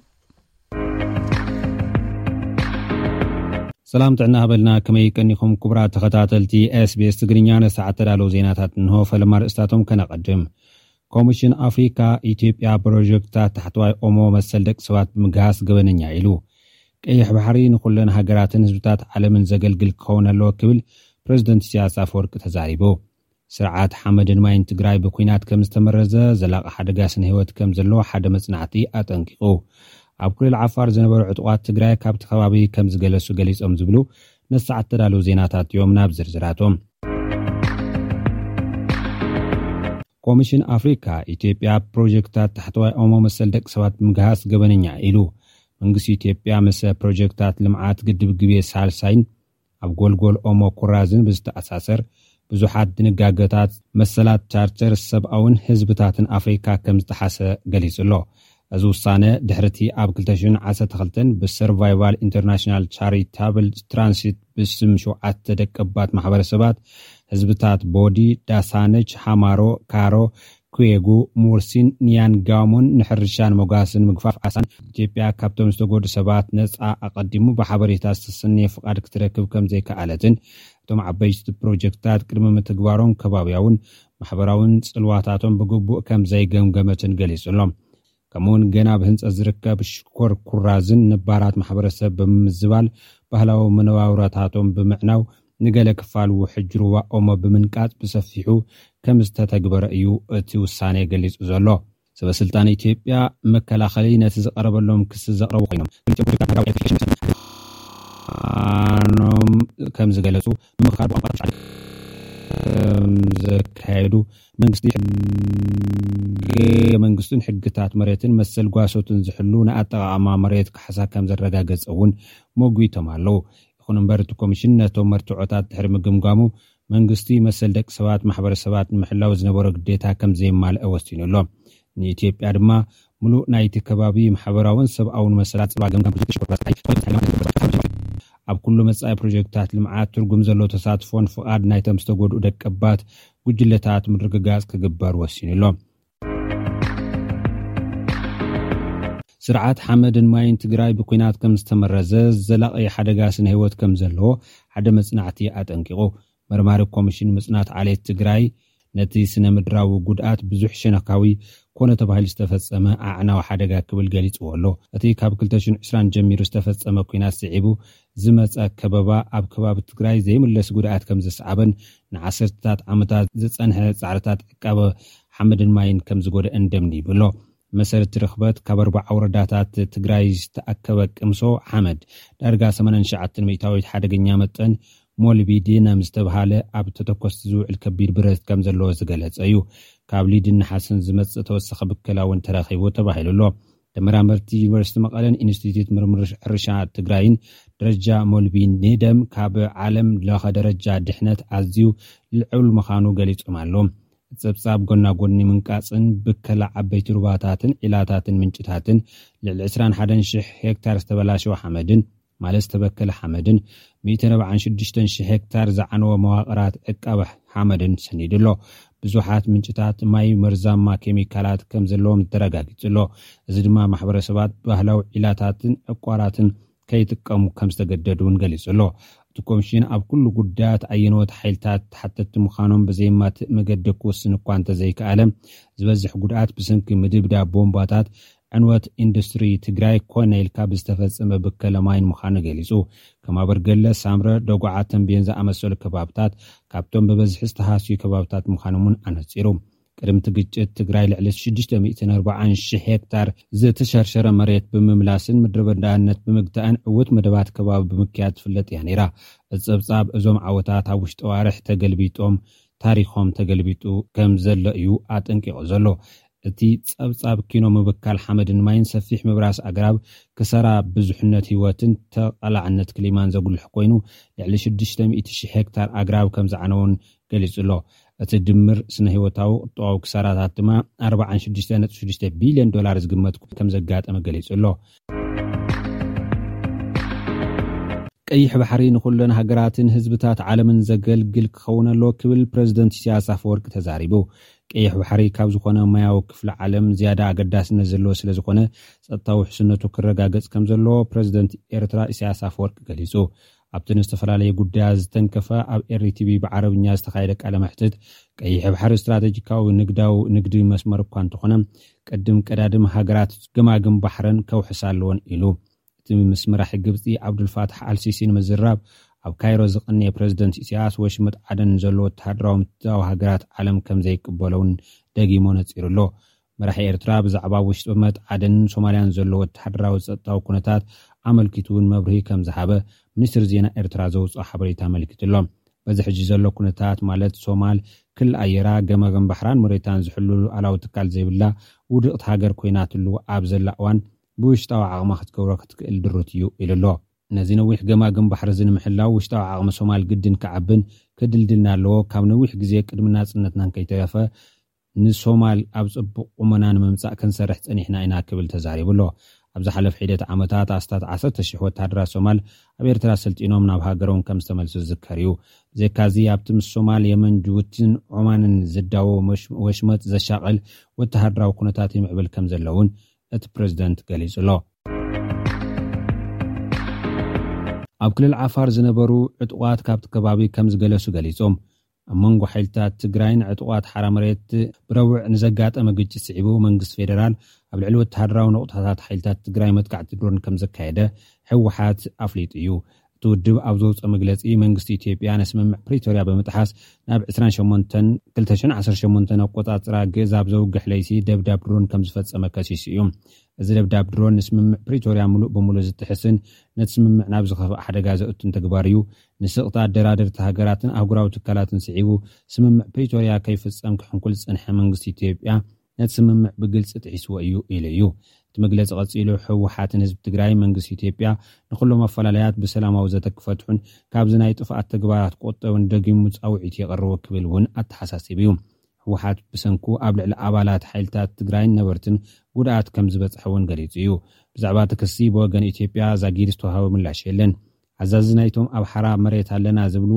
ሰላም ጥዕና ሃበልና። ከመይ ቀኒኹም ክቡራት ተኸታተልቲ ኤስቢኤስ ትግርኛ? ነሰዓት ተዳለዉ ዜናታት እንሆ። ፈለማ ርእስታቶም ከነቐድም። ኮሚሽን ኣፍሪካ፣ ኢትዮጵያ ፕሮጀክትታት ታሕተዋይ ኦሞ መሰል ደቂ ሰባት ብምግሃስ ገበነኛ ኢሉ። ቀይሕ ባሕሪ ንኹለን ሃገራትን ህዝብታት ዓለምን ዘገልግል ክኸውን ኣለዎ ክብል ፕሬዚደንት ኢሳያስ ኣፈወርቂ ተዛሪቡ። ስርዓት ሓመድን ማይን ትግራይ ብኲናት ከም ዝተመረዘ፣ ዘላቒ ሓደጋ ስነ ህይወት ከም ዘለዎ ሓደ መጽናዕቲ ኣጠንቂቑ። ኣብ ክልል ዓፋር ዝነበሩ ዕጡቓት ትግራይ ካብቲ ከባቢ ከም ዝገለሱ ገሊጾም ዝብሉ ነሰዓት ተዳለዉ ዜናታት እዮም። ናብ ዝርዝራቶም። ኮሚሽን ኣፍሪካ፣ ኢትዮጵያ ፕሮጀክትታት ታሕተዋይ ኦሞ መሰል ደቂ ሰባት ምግሃስ ገበነኛ ኢሉ። መንግስቲ ኢትዮጵያ ምስ ፕሮጀክትታት ልምዓት ግድብ ግቤ ሳልሳይን ኣብ ጎልጎል ኦሞ ኩራዝን ብዝተኣሳሰር ብዙሓት ድንጋገታት መሰላት ቻርተር ሰብኣውን ህዝብታትን ኣፍሪካ ከም ዝጠሓሰ ገሊጹ ኣሎ። እዚ ውሳነ ድሕርቲ ኣብ ክልተ ሽሕን ዓሰርተ ክልተን ብሰርቫይቫል ኢንተርናሽናል ቻሪታብል ትራንሲት ብስም ሸውዓተ ደቀባት ማሕበረሰባት ህዝብታት ቦዲ፣ ዳሳነች፣ ሃማሮ፣ ካሮ፣ ኩዌጉ፣ ሙርሲን ኒያንጋሞን ንሕርሻን መጓስን ምግፋፍ ዓሳን ኢትዮጵያ ካብቶም ዝተጎዱ ሰባት ነፃ ኣቐዲሙ ብሓበሬታ ዝተሰነየ ፍቓድ ክትረክብ ከም ዘይከኣለትን እቶም ዓበይቲ ፕሮጀክትታት ቅድሚ ምትግባሮም ከባብያውን ማሕበራውን ጽልዋታቶም ብግቡእ ከም ዘይገምገመትን ገሊጹ ኣሎ። ከምኡውን ገና ብህንጸት ዝርከብ ሽኮር ኩራዝን ነባራት ማሕበረሰብ ብምምዝባል ባህላዊ መነባብሮታቶም ብምዕናው ንገለ ክፋል ውሕጅ ሩባ ኦሞ ብምንቃጽ ብሰፊሑ ከም ዝተተግበረ እዩ እቲ ውሳኔ ገሊጹ ዘሎ። ሰበ ስልጣን ኢትዮጵያ መከላኸሊ ነቲ ዝቐረበሎም ክሲ ዘቕረቡ ኮይኖም፣ ክልቲኦም ፕሮጀክታት ሃገራዊ ኤሌክትሪፊኬሽን ምዃኖም ከም ዝገለጹ ብምኽኻር ብቋንቋ ትሽዓተ ከም ዘካየዱ መንግስቲ ሕገ መንግስቱን ሕግታት መሬትን መሰል ጓሶትን ዝሕሉ ንኣጠቓቕማ መሬት ካሕሳ ከም ዘረጋገጸ እውን መጒቶም ኣለዉ። ይኹን እምበር እቲ ኮሚሽን ነቶም መርትዖታት ድሕሪ ምግምጋሙ መንግስቲ መሰል ደቂ ሰባት ማሕበረሰባት ንምሕላው ዝነበሮ ግዴታ ከም ዘየማልአ ወሲኑ ኣሎ። ንኢትዮጵያ ድማ ምሉእ ናይቲ ከባቢ ማሕበራውን ሰብኣውን መሰላት ጽልዋ ገምጋም ፕሮጀክት ሽኮር ራስ ፀሓይ ዝኾነ ተሳኢኖም ኣብ ኩሉ መጻኢ ፕሮጀክትታት ልምዓት ትርጉም ዘለዎ ተሳትፎን ፍቓድ ናይቶም ዝተጎድኡ ደቀባት ጉጅለታት ምርግጋጽ ክግበር ወሲኑ ኣሎ። ስርዓት ሓመድን ማይን ትግራይ ብኲናት ከም ዝተመረዘ፣ ዘላቒ ሓደጋ ስነ ህይወት ከም ዘለዎ ሓደ መጽናዕቲ ኣጠንቂቑ። መርማሪ ኮሚሽን ምጽናት ዓሌት ትግራይ ነቲ ስነ ምድራዊ ጉድኣት ብዙሕ ሸነካዊ ኮነ ተባሂሉ ዝተፈጸመ ኣዕናዊ ሓደጋ ክብል ገሊጽዎ ኣሎ። እቲ ካብ ክልተ ሽሕን ዕስራን ጀሚሩ ዝተፈጸመ ኲናት ስዒቡ ዝመጸ ከበባ ኣብ ከባቢ ትግራይ ዘይምለስ ጉድኣት ከም ዘስዓበን ንዓሰርተታት ዓመታት ዝጸንሐ ጻዕርታት ዕቃበ ሓመድን ማይን ከም ዝጎደአን ደምዲቡ ኣሎ። መሰረቲ ርኽበት ካብ ኣርባዓ ወረዳታት ትግራይ ዝተኣከበ ቅምሶ ሓመድ ዳርጋ ሰማንያን ትሽዓተን ሚእታዊት ሓደገኛ መጠን ሞሊቢዲነም ዝተብሃለ ኣብ ተተኮስቲ ዝውዕል ከቢድ ብረት ከም ዘለዎ ዝገለጸ እዩ። ካብ ሊድን ነሓስን ዝመጽእ ተወሳኺ ብከላ እውን ተረኺቡ ተባሂሉ ኣሎ። ተመራመርቲ ዩኒቨርሲቲ መቐለን ኢንስቲትዩት ምርምር ሕርሻ ትግራይን ደረጃ ሞሊቢዲነም ካብ ዓለም ለኸ ደረጃ ድሕነት ኣዝዩ ልዑል ምዃኑ ገሊጾም ኣለዉ። ጸብጻብ ጎና ጎኒ ምንቃጽን ብከላ ዓበይቲ ሩባታትን ዒላታትን ምንጭታትን ልዕሊ ዕስራን ሓደን ሽሕ ሄክታር ዝተበላሸወ ሓመድን ማለት ዝተበከለ ሓመድን ሚእትን ኣርባዓን ሽዱሽተን ሽሕ ሄክታር ዝዓነወ መዋቕራት ዕቃበ ሓመድን ሰኒዱ ኣሎ። ብዙሓት ምንጭታት ማይ መርዛማ ኬሚካላት ከም ዘለዎም ተረጋጊጹ ኣሎ። እዚ ድማ ማሕበረሰባት ባህላዊ ዒላታትን ዕቋራትን ከይጥቀሙ ከም ዝተገደዱ እውን ገሊጹ ኣሎ። እቲ ኮሚሽን ኣብ ኩሉ ጉዳያት ኣየነዎት ሓይልታት ተሓተትቲ ምዃኖም ብዘየማትእ መገዲ ክውስን እኳ እንተዘይከኣለ፣ ዝበዝሕ ጉድኣት ብሰንኪ ምድብዳብ ቦምባታት ዕንወት ኢንዱስትሪ ትግራይ ኮነ ኢልካ ብዝተፈጸመ ብከለ ማይን ምዃኑ ገሊጹ። ከም ኣበርገለ፣ ሳምረ፣ ደጉዓ፣ ተንቤን ዝኣመሰሉ ከባብታት ካብቶም ብበዝሒ ዝተሃስዩ ከባብታት ምዃኖም እውን ኣነጺሩ። ቅድሚ እቲ ግጭት ትግራይ ልዕሊ ሽዱሽተ ሚእትን ኣርባዓን ሽሕ ሄክታር ዝተሸርሸረ መሬት ብምምላስን ምድረ በዳነት ብምግታእን ዕዉት መደባት ከባቢ ብምክያድ ትፍለጥ እያ ነይራ። እቲ ጸብጻብ እዞም ዓወታት ኣብ ውሽጢ ኣዋርሕ ተገልቢጦም ታሪኾም ተገልቢጡ ከም ዘሎ እዩ ኣጠንቂቑ ዘሎ። እቲ ጸብጻብ ኪኖ ምብካል ሓመድን ማይን ሰፊሕ ምብራስ ኣግራብ ክሰራ ብዙሕነት ህይወትን ተቓላዕነት ክሊማን ዘጉልሕ ኮይኑ ልዕሊ ሽዱሽተ ሚእቲ ሽሕ ሄክታር ኣግራብ ከም ዝዓነውን ገሊጹ ኣሎ። እቲ ድምር ስነ ህይወታዊ ቁጠባዊ ክሳራታት ድማ ኣርባዓን ሽዱሽተ ነጥቢ ሽዱሽተ ቢልዮን ዶላር ዝግመት ከም ዘጋጠመ ገሊጹ ኣሎ። ቀይሕ ባሕሪ ንኹለን ሃገራትን ህዝብታት ዓለምን ዘገልግል ክኸውን ኣለዎ ክብል ፕረዚደንት ኢሳያስ ኣፈወርቂ ተዛሪቡ። ቀይሕ ባሕሪ ካብ ዝኾነ ማያዊ ክፍሊ ዓለም ዝያዳ ኣገዳስነት ዘለዎ ስለ ዝኾነ ጸጥታዊ ውሕስነቱ ክረጋገጽ ከም ዘለዎ ፕረዚደንት ኤርትራ ኢሳያስ ኣፈወርቂ ገሊጹ። ኣብቲ ንዝተፈላለየ ጉዳያት ዝተንከፈ ኣብ ኤሪ ቲቪ ብዓረብኛ ዝተኻየደ ቃለ መሕትት ቀይሕ ባሕሪ ስትራቴጂካዊ ንግዳዊ ንግዲ መስመር እኳ እንተኾነ ቅድም ቀዳድም ሃገራት ገማግም ባሕረን ከውሕሳ ኣለዎን ኢሉ። እቲ ምስ መራሒ ግብጺ ዓብዱልፋታሕ ኣልሲሲ ንምዝራብ ኣብ ካይሮ ዝቐነየ ፕረዚደንት ኢሳያስ ወሽመጥ ዓደን ዘሎ ወተሃደራዊ ምትእትታው ሃገራት ዓለም ከም ዘይቅበሎ እውን ደጊሞ ነጺሩ ኣሎ። መራሒ ኤርትራ ብዛዕባ ወሽመጥ ዓደንን ሶማልያን ዘሎ ወተሃደራዊ ጸጥታዊ ኩነታት ኣመልኪቱ እውን መብርሂ ከም ዝሃበ ሚኒስትሪ ዜና ኤርትራ ዘውጽኦ ሓበሬታ ኣመልኪቱ ኣሎ። በዚ ሕጂ ዘሎ ኩነታት ማለት ሶማል ክሊ ኣየራ ገማግም ባሕራን መሬታን ዝሕሉ ሉዓላዊ ትካል ዘይብላ ውድቕቲ ሃገር ኮይናትሉ ኣብ ዘላ እዋን ብውሽጣዊ ዓቕማ ክትገብሮ ክትክእል ድሩት እዩ ኢሉ ኣሎ። ነዚ ነዊሕ ገማግም ባሕሪ እዚ ንምሕላው ውሽጣዊ ዓቕሚ ሶማል ግድን ክዓብን ክድልድልና ኣለዎ። ካብ ነዊሕ ግዜ ቅድሚ ናጽነትና ከይተረፈ ንሶማል ኣብ ጽቡቕ ቁመና ንምምጻእ ክንሰርሕ ጸኒሕና ኢና ክብል ተዛሪቡ ኣሎ። ኣብ ዝሓለፈ ሒደት ዓመታት ኣስታት ዓሰርተ ሽሕ ወተሃደራት ሶማል ኣብ ኤርትራ ሰልጢኖም ናብ ሃገሮም ከም ዝተመልሱ ዝዝከር እዩ። ብዘካዚ ኣብቲ ምስ ሶማል፣ የመን፣ ጅቡቲን ዖማንን ዝዳወ ወሽ-፣ ወሽመጥ ዘሻቕል ወተሃደራዊ ኩነታት ይምዕብል ከም ዘለውን እቲ ፕረዚደንት ገሊጹ ኣሎ። ኣብ ክልል ዓፋር ዝነበሩ ዕጡቓት ካብቲ ከባቢ ከም ዝገለሱ ገሊጾም። ኣብ መንጎ ሓይልታት ትግራይን ዕጡቓት ሓራ መሬት ብረቡዕ ንዘጋጠመ ግጭት ስዒቡ መንግስቲ ፌደራል ኣብ ልዕሊ ወተሃደራዊ ነቑጣታት ሓይልታት ትግራይ መጥቃዕቲ ድሮን ከም ዘካየደ ህወሓት ኣፍሊጡ እዩ። እቲ ውድብ ኣብ ዘውፅኦ መግለፂ መንግስቲ ኢትዮጵያ ንስምምዕ ፕሪቶርያ ብምጥሓስ ናብ ዕስራን ሸሞንተን ክልተ ሽሕን ዓሰርተ ሸሞንተን ኣቆፃፅራ ግእዝ ኣብ ዘውግሕ ለይቲ ደብዳብ ድሮን ከም ዝፈፀመ ከሲሱ እዩ። እዚ ደብዳብ ድሮን ንስምምዕ ፕሪቶርያ ሙሉእ ብሙሉእ ዝጥሕስን ነቲ ስምምዕ ናብ ዝኸፍእ ሓደጋ ዘእቱን ተግባር እዩ። ንስቕታ ኣደራደርቲ ሃገራትን ኣህጉራዊ ትካላትን ስዒቡ ስምምዕ ፕሪቶርያ ከይፍጸም ክሕንኩል ዝጸንሐ መንግስቲ ኢትዮጵያ ነቲ ስምምዕ ብግልጺ ጥሒስዎ እዩ ኢሉ እዩ። እቲ መግለጺ ቀጺሉ ህወሓትን ህዝቢ ትግራይ መንግስቲ ኢትዮጵያ ንኹሎም ኣፈላለያት ብሰላማዊ ዘተ ክፈትሑን ካብዚ ናይ ጥፍኣት ተግባራት ክቑጠቡን ደጊሙ ጻውዒት የቕርቡ ክብል እውን ኣተሓሳሲቡ እዩ። ህወሓት ብሰንኩ ኣብ ልዕሊ ኣባላት ሓይልታት ትግራይን ነበርትን ጉድኣት ከም ዝበጽሐ እውን ገሊጹ እዩ። ብዛዕባ እቲ ክሲ ብወገን ኢትዮጵያ ዛጊድ ዝተዋህበ ምላሽ የለን። ኣዛዚ ናይቶም ኣብ ሓራ መሬት ኣለና ዝብሉ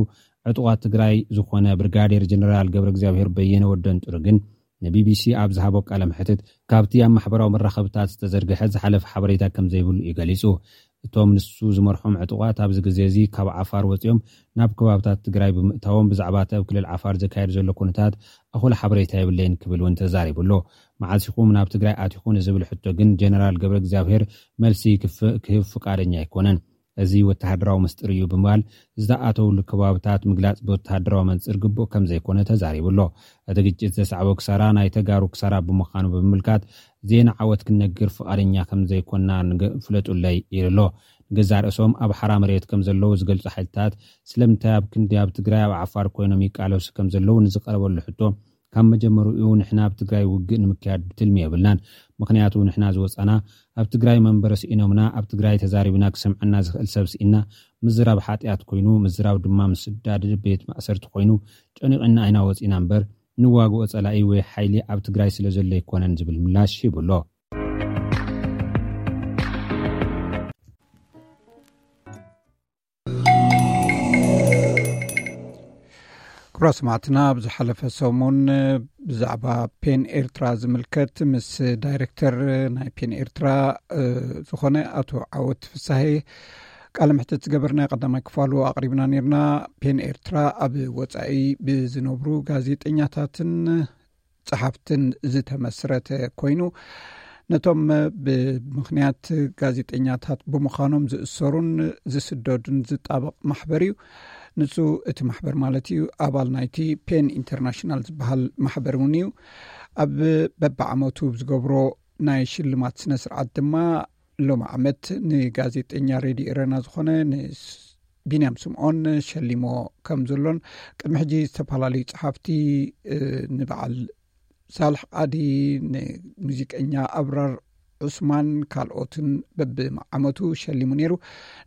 ዕጡቓት ትግራይ ዝኾነ ብርጋዴር ጀነራል ገብረ እግዚኣብሔር በየነ ወደንጥሩ ግን ንቢቢሲ ኣብ ዝሃቦ ቃለ መሕትት፣ ካብቲ ኣብ ማሕበራዊ መራኸብታት ዝተዘርግሐ ዝሓለፈ ሓበሬታ ከም ዘይብሉ እዩ ገሊጹ። እቶም ንሱ ዝመርሖም ዕጡቓት ኣብዚ ግዜ እዚ ካብ ዓፋር ወጺኦም ናብ ከባብታት ትግራይ ብምእታዎም፣ ብዛዕባ እቲ ኣብ ክልል ዓፋር ዘካየድ ዘሎ ኩነታት ኣኹል ሓበሬታ የብለይን ክብል እውን ተዛሪቡ ኣሎ። መዓስ ኢኹም ናብ ትግራይ ኣቲኹ ንዝብል ሕቶ ግን ጀነራል ገብረ እግዚኣብሔር መልሲ ክፍ-፣ ክህብ ፍቃደኛ ኣይኮነን። እዚ ወተሃደራዊ ምስጢር እዩ ብምባል ዝተኣተውሉ ከባብታት ምግላጽ ብወተሃደራዊ መንጽር ግቡእ ከም ዘይኮነ ተዛሪቡ ኣሎ። እቲ ግጭት ዘስዓቦ ክሳራ ናይ ተጋሩ ክሳራ ብምዃኑ ብምምልካት ዜና ዓወት ክንነግር ፍቓደኛ ከም ዘይኮና ንገ-፣ ፍለጡለይ ኢሉ ኣሎ። ንገዛእ ርእሶም ኣብ ሓራ መሬት ከም ዘለዉ ዝገልጹ ሓይልታት ስለምንታይ ኣብ ክንዲ ኣብ ትግራይ ኣብ ዓፋር ኮይኖም ይቃለሱ ከም ዘለዉ ንዝቀረበሉ ሕቶ ካብ መጀመሪኡ ንሕና ኣብ ትግራይ ውግእ ንምክያድ ትልሚ የብልናን። ምኽንያቱ ንሕና ዝወፃና ኣብ ትግራይ መንበሪ ስኢኖምና፣ ኣብ ትግራይ ተዛሪብና ክሰምዐና ዝኽእል ሰብ ስኢና ምዝራብ ሓጢኣት ኮይኑ፣ ምዝራብ ድማ ምስዳድ ቤት ማእሰርቲ ኮይኑ ጨኒቕና ኢና ወፂና እምበር ንዋግኦ ፀላኢ ወይ ሓይሊ ኣብ ትግራይ ስለ ዘሎ ኣይኮነን ዝብል ምላሽ ሂቡ ኣሎ። ክቡራት ሰማዕትና፣ ኣብ ዝሓለፈ ሰሙን ብዛዕባ ፔን ኤርትራ ዝምልከት ምስ ዳይሬክተር ናይ ፔን ኤርትራ፣ እ፣ ዝኾነ ኣቶ ዓወት ፍሳሄ ቃለ መሕትት ዝገበርና ቀዳማይ ክፋሉ ኣቕሪብና ነርና። ፔን ኤርትራ ኣብ ወጻኢ ብዝነብሩ ጋዜጠኛታትን ጸሓፍትን ዝተመስረተ ኮይኑ፣ ነቶም ብምኽንያት ጋዜጠኛታት ብምዃኖም ዝእሰሩን ዝስደዱን ዝጣበቕ ማሕበር እዩ። ንሱ፣ እቲ ማሕበር ማለት እዩ፣ ኣባል ናይቲ ፔን ኢንተርናሽናል ዝበሃል ማሕበር እውን እዩ። ኣብ በብዓመቱ ዝገብሮ ናይ ሽልማት ስነ ስርዓት ድማ ሎም ዓመት ንጋዜጠኛ ሬድዮ ኤረና ዝኾነ ንስ-፣ ቢንያም ስምዖን ሸሊሞ ከም ዘሎን፣ ቅድሚ ሕጂ ዝተፈላለዩ ጸሓፍቲ፣ እ፣ ንበዓል ሳልሕ ቃዲ፣ ንሙዚቀኛ ኣብራር ዑስማን ካልኦትን በብዓመቱ ሸሊሙ ነይሩ።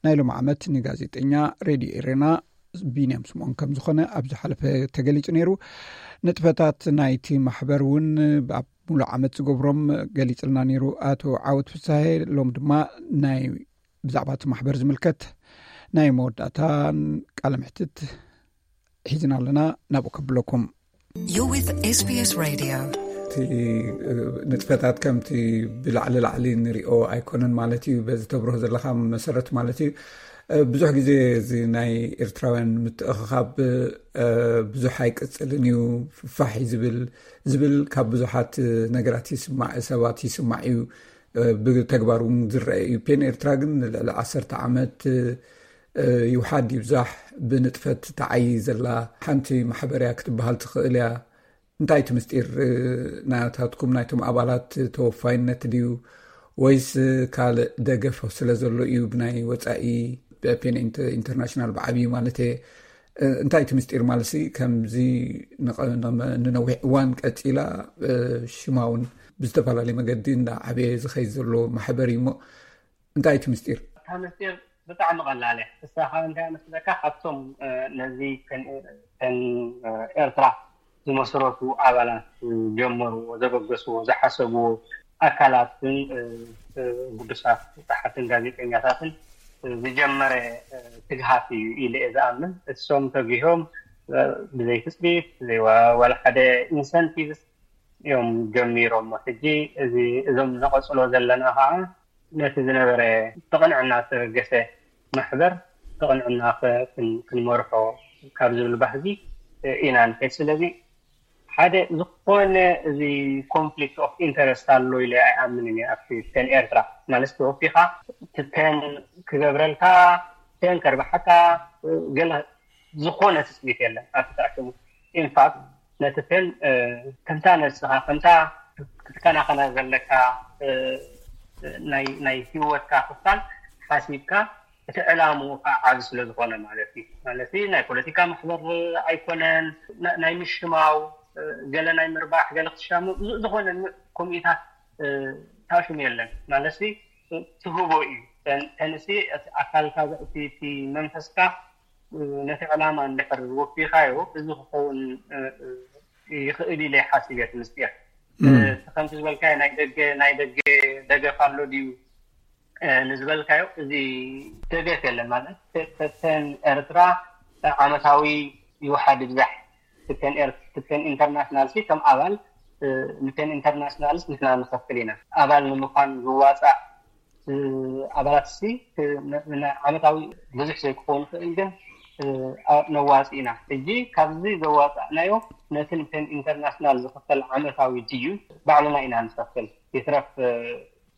ናይ ሎም ዓመት ንጋዜጠኛ ሬድዮ ኤረና ቢንያም ስምዖን ከም ዝኾነ ኣብ ዝሓለፈ ተገሊጹ ነይሩ። ንጥፈታት ናይቲ ማሕበር እውን ኣብ ሙሉእ ዓመት ዝገብሮም ገሊጽልና ነይሩ ኣቶ ዓወት ፍሳሄ። ሎም ድማ ናይ ብዛዕባ እቲ ማሕበር ዝምልከት ናይ መወዳእታን ቃለ ምሕትት ሒዝና ኣለና፣ ናብኡ ከብለኩም። You're with S B S Radio. እቲ፣ እ፣ ንጥፈታት ከምቲ ብላዕሊ ላዕሊ ንሪኦ ኣይኮነን ማለት እዩ። በዚ ተብርሆ ዘለኻ መሰረት ማለት እዩ። እ፣ ብዙሕ ግዜ እዚ ናይ ኤርትራውያን ምትእኽኻብ፣ እ፣ ብዙሕ ኣይቅጽልን እዩ፣ ፋሕ እዩ ዝብል፣ ዝብል ካብ ብዙሓት ነገራት ይስማዕ፣ ሰባት ይስማዕ እዩ። እ፣ ብተግባር እውን ዝረአ እዩ። ፔን ኤርትራ ግን ንልዕሊ ዓሰርተ ዓመት፣ እ፣ ይውሓድ ይብዛሕ ብንጥፈት ተዓይ ዘላ ሓንቲ ማሕበር እያ ክትበሃል ትኽእል እያ። እንታይ እቲ ምስጢር፣ እ፣ ናታትኩም ናይቶም ኣባላት ተወፋይነት ድዩ ወይስ ካልእ ደገፍ ስለ ዘሎ እዩ ብናይ ወጻኢ ብፔን ኢንተ-፣ ኢንተርናሽናል ብዓብዩ ማለት እየ? እ፣ እንታይ እቲ ምስጢር ማለት ሲ ከምዚ ንቐ-፣ ንመ-፣ ንነዊሕ እዋን ቀጺላ፣ እ፣ ሽማ እውን ብዝተፈላለየ መገዲ እንዳ ዓበየ ዝኸይድ ዘሎ ማሕበር እዩ እሞ እንታይ እቲ ምስጢር? እታ ምስጢር ብጣዕሚ ቀላል እያ። እሳ ካብ እንታይ መስለካ? ካብቶም፣ እ፣ ነዚ ፔን፣ ፔን፣ እ፣ ኤርትራ ዝመስረቱ ኣባላት ጀመርዎ፣ ዘበገስዎ፣ ዝሓሰብዎ ኣካላትን፣ እ፣ እ፣ ግዱሳት ጸሓፍትን ጋዜጠኛታትን ዝጀመረ፣ እ፣ ትግሃት እዩ ኢለ እየ ዝኣምን። እሶም ተጊሆም፣ እ፣ ብዘይ ትጽቢት፣ ብዘይ ዋ-፣ ዋላ ሓደ ኢንሰንቲቭስ እዮም ጀሚሮሞ። ሕጂ እዚ፣ እዞም ነቐጽሎ ዘለና ኸዓ ነቲ ዝነበረ ብቕንዕና ዝተበገሰ ማሕበር ብቕንዕና ከ-፣ ክን-፣ ክንመርሖ ካብ ዝብል ባህጊ ኢና ንከይድ። ስለዚ ሓደ ዝኾነ እዚ ኮንፍሊክት ኦፍ ኢንተረስት ኣሎ ኢለ ኣይኣምንን እየ። ኣብቲ ፔን ኤርትራ ማለት ተወፊኻ እቲ ፔን ክገብረልካ፣ ፔን ከርብሓካ፣ ገለ ዝኾነ ትጽቢት የለን ኣብቲ ተኣኪቡ። ኢንፋክት ነቲ ፔን፣ እ፣ ከምታ ነብስኻ፣ ከምታ ክትከናኸና ዘለካ፣ እ፣ ናይ፣ ናይ ህይወትካ ክፋል ሓሲብካ፣ እቲ ዕላምኡ ከዓ ዓቢ ስለ ዝኾነ ማለት እዩ። ማለት ናይ ፖለቲካ ማሕበር ኣይኮነን፣ ና-፣ ናይ ምሽማው፣ እ፣ ገለ ናይ ምርባሕ፣ ገለ ክትሻሙ፣ ዝ-፣ ዝኾነ ን-፣ ከምኡታት፣ እ፣ ታሽሙ የለን። ማለት ትህቦ እዩ። ተን-፣ ተንሲ እቲ ኣካልካ፣ እቲ፣ እቲ መንፈስካ፣ እ፣ ነቲ ዕላማ እንድሕር ወፊኻዮ፣ እዚ ክኸውን፣ እ፣ እ፣ ይኽእል ኢለ ይሓስብ እየ። እቲ ምስጢር፣ እ፣ እም። እቲ ከምቲ ዝበልካዮ ናይ ደገ፣ ናይ ደገ ደገፍ ኣሎ ድዩ፣ እ፣ ንዝበልካዮ፣ እዚ ደገፍ የለን። ማለት ተ-፣ ተ-፣ ፔን ኤርትራ ዓመታዊ ይውሓድ ይብዛሕ፣ ፔን ኤር-፣ ፔን ኢንተርናሽናል ሲ ከም ኣባል ንፔን ኢንተርናሽናልስ ንሕና ንኸፍል ኢና። ኣባል ንምዃን ዝዋፃእ ኣባላት ሲ ዓመታዊ ብዙሕ ዘይክኸውን ይኽእል፣ ግን ነዋፂ ኢና። ሕጂ ካብዚ ዘዋፃእናዮ ነቲ ንፔን ኢንተርናሽናል ዝኽፈል ዓመታዊ ድዩ ባዕልና ኢና ንኸፍል። ይትረፍ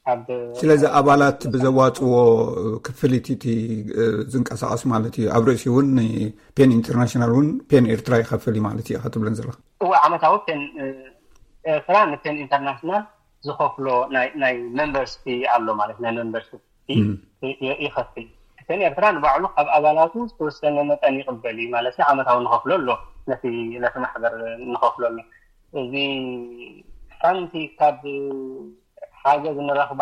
ኣብ ስለዚ ኣባላት ብዘዋፅዎ ክፍሊት እቲ ዝንቀሳቐስ ማለት እዩ። ኣብ ርእሲ እውን ፔን ኢንተርናሽናል እውን ፔን ኤርትራ ይኸፍል እዩ ማለት እዩ ክትብለን ዘለኻ? እወ፣ ዓመታዊ ፔን ኤርትራ ንፔን ኢንተርናሽናል ዝኸፍሎ ናይ ሜምበርስ ፊ ኣሎ ማለት ናይ ሜምበርስ ፊ ይኸፍል። ፔን ኤርትራ ንባዕሉ ካብ ኣባላቱ ዝተወሰነ መጠን ይቕበል እዩ ማለት ዓመታዊ ንኸፍሎ ኣሎ፣ ነቲ ማሕበር ንኸፍሎ ኣሎ። እዚ ሓንቲ ካብ ሓገዝ ንረኽባ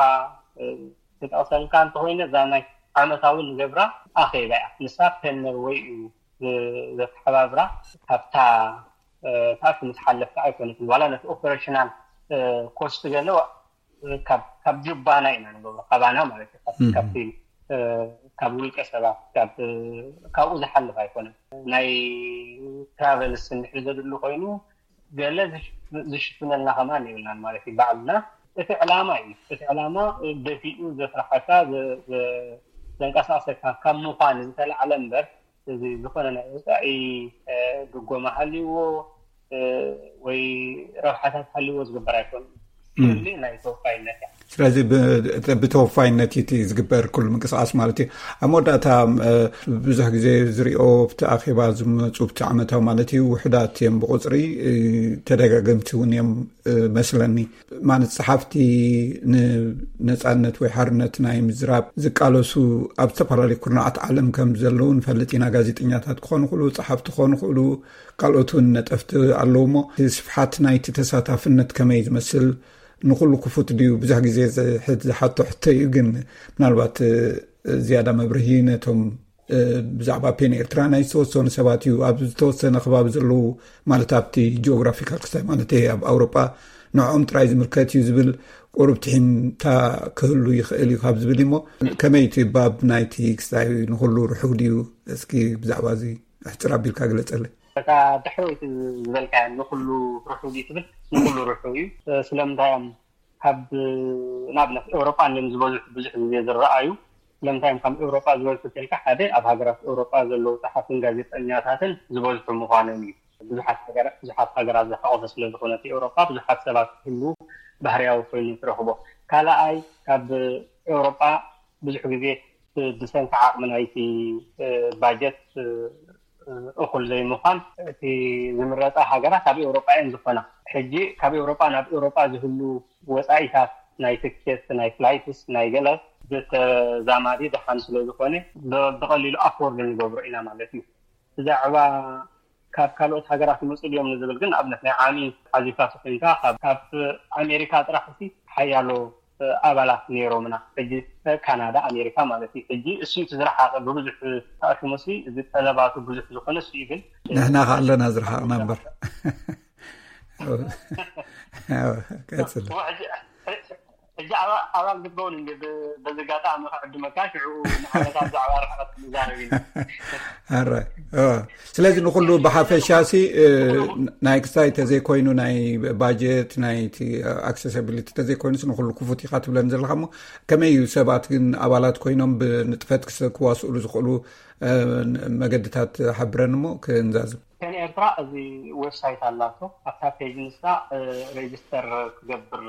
ክጠቕሰልካ እንተኮይነ እዛ ናይ ዓመታዊ ንገብራ ኣኼባ እያ። ንሳ ፔን ኖርወይ እዩ ዘተሓባብራ። ካብታ ታክሲ ምስ ሓለፍካ ኣይኮነትን፣ ዋላ ነቲ ኦፐሬሽናል ኮስት ገለ ካብ ጁባና ኢና ንገብሮ፣ ካባና ማለት እዩ። ካብቲ ካብ ውልቀ ሰባት ካብኡ ዝሓልፍ ኣይኮነን። ናይ ትራቨልስ እንድሕር ዘድሉ ኮይኑ ገለ ዝሽፍነልና ከማን የብልናን ማለት እዩ። ባዕልና እቲ ዕላማ እዩ። እቲ ዕላማ ደፊኡ ዘስራሓካ ዘንቀሳቅሰካ ካብ ምዃን ዝተላዕለ እምበር እዚ ዝኾነ ናይ ወፃኢ ድጎማ ሃልይዎ ወይ ረብሓታት ሃልይዎ ዝግበር ኣይኮን። ናይ ተወፋይነት እያ። ስለዚ ብተወፋይነት እቲ ዝግበር ኩሉ ምንቅስቃስ ማለት እዩ። ኣብ መወዳእታ ብዙሕ ግዜ ዝሪኦ ብቲ ኣኼባ ዝመፁ ብቲ ዓመታዊ ማለት እዩ ውሕዳት እዮም ብቁፅሪ፣ ተደጋገምቲ እውን እዮም መስለኒ። ማለት ፀሓፍቲ ንነፃነት ወይ ሓርነት ናይ ምዝራብ ዝቃለሱ ኣብ ዝተፈላለዩ ኩርናዓት ዓለም ከም ዘለዉ ንፈልጥ ኢና። ጋዜጠኛታት ክኾኑ ክእሉ፣ ፀሓፍቲ ክኾኑ ክእሉ፣ ካልኦት እውን ነጠፍቲ ኣለዉ። እሞ ስፍሓት ናይቲ ተሳታፍነት ከመይ ዝመስል ንኩሉ ክፉት ድዩ? ብዙሕ ግዜ ዝሓቶ ሕቶ እዩ፣ ግን ምናልባት ዝያዳ መብርሂ ነቶም ብዛዕባ ፔን ኤርትራ ናይ ዝተወሰኑ ሰባት እዩ፣ ኣብ ዝተወሰነ ከባቢ ዘለዉ፣ ማለት ኣብቲ ጂኦግራፊካል ክስታይ ማለት ኣብ ኣውሮጳ ንዕኦም ጥራይ ዝምልከት እዩ ዝብል ቁሩብ ትሒምታ ክህሉ ይኽእል እዩ ካብ ዝብል እሞ ከመይ እቲ ባብ ናይቲ ክስታይ ንኩሉ ርሑው ድዩ? እስኪ ብዛዕባ እዚ ሕፅር ኣቢልካ ግለፀለይ። እታ ድሕረይቲ ዝበልካያ ንኩሉ ርሑው ድዩ ትብል? ንኩሉ ርሑው እዩ። ስለምንታይ እዮም ካብ ንኣብነት ኤውሮጳ እንድዮም ዝበዝሑ ብዙሕ ግዜ ዝረኣዩ? ስለምንታይ እዮም ካብ ኤውሮጳ ዝበዝሑ ተልካ? ሓደ ኣብ ሃገራት ኤውሮጳ ዘለዉ ጸሓፍትን ጋዜጠኛታትን ዝበዝሑ ምዃኖም እዩ። ብዙሓት ሃገራት ዝሓቆፈ ስለ ዝኾነ እቲ ኤውሮጳ ብዙሓት ሰባት ክህልዉ ባህርያዊ ኮይኑ ትረኽቦ። ካልኣይ ካብ ኤውሮጳ ብዙሕ ግዜ ብሰንኪ ዓቕሚ ናይቲ ባጀት እኹል ዘይምዃን እቲ ዝምረፃ ሃገራት ኣብ ኤውሮጳ እየን ዝኾና። ሕጂ ካብ ኤውሮጳ ናብ ኤውሮጳ ዝህሉ ወፃኢታት ናይ ትኬት፣ ናይ ፍላይትስ፣ ናይ ገለ ብተዛማዲ ደሓን ስለ ዝኾነ ብቐሊሉ ኣፎርድ ንገብሮ ኢና ማለት እዩ። ብዛዕባ ካብ ካልኦት ሃገራት ይመፁ ድዮም ንዝብል ግን ንኣብነት ናይ ዓሚ ሓዚካ ተኮይንካ ካብ ኣሜሪካ ጥራሕ ሲ ሓያሎ ኣባላት ነይሮምና። ሕጂ ካናዳ ኣሜሪካ ማለት እዩ። ሕጂ እሱ እቲ ዝረሓቀ ብብዙሕ ተኣሽሞ ሲ እዚ ጠለባቱ ብዙሕ ዝኾነ እሱ እዩ። ግን ንሕና ከ ኣለና ዝረሓቅና እምበር ቀፅል። ሕጂ ኣባል ክትከውን እንዲ በዚ ጋጣሚ ክዕድመካ ሽዑ ንዓመታት ብዛዕባ ርሕቀት ንዛረብ ኢና። ኣራይ ስለዚ ንኩሉ ብሓፈሻ ሲ ናይ ክስታይ ተዘይኮይኑ ናይ ባጀት ናይ ኣክሰሲቢሊቲ ተዘይኮይኑስ ንኩሉ ክፉት ኢካ ትብለን ዘለካ እሞ ከመይ እዩ ሰባት ግን ኣባላት ኮይኖም ብንጥፈት ክዋስእሉ ዝኽእሉ መገድታት ሓብረን እሞ ክንዛዝም። ፔን ኤርትራ እዚ ዌብሳይት ኣላቶ። ኣብታ ፔጅ ንሳ ሬጅስተር ክገብር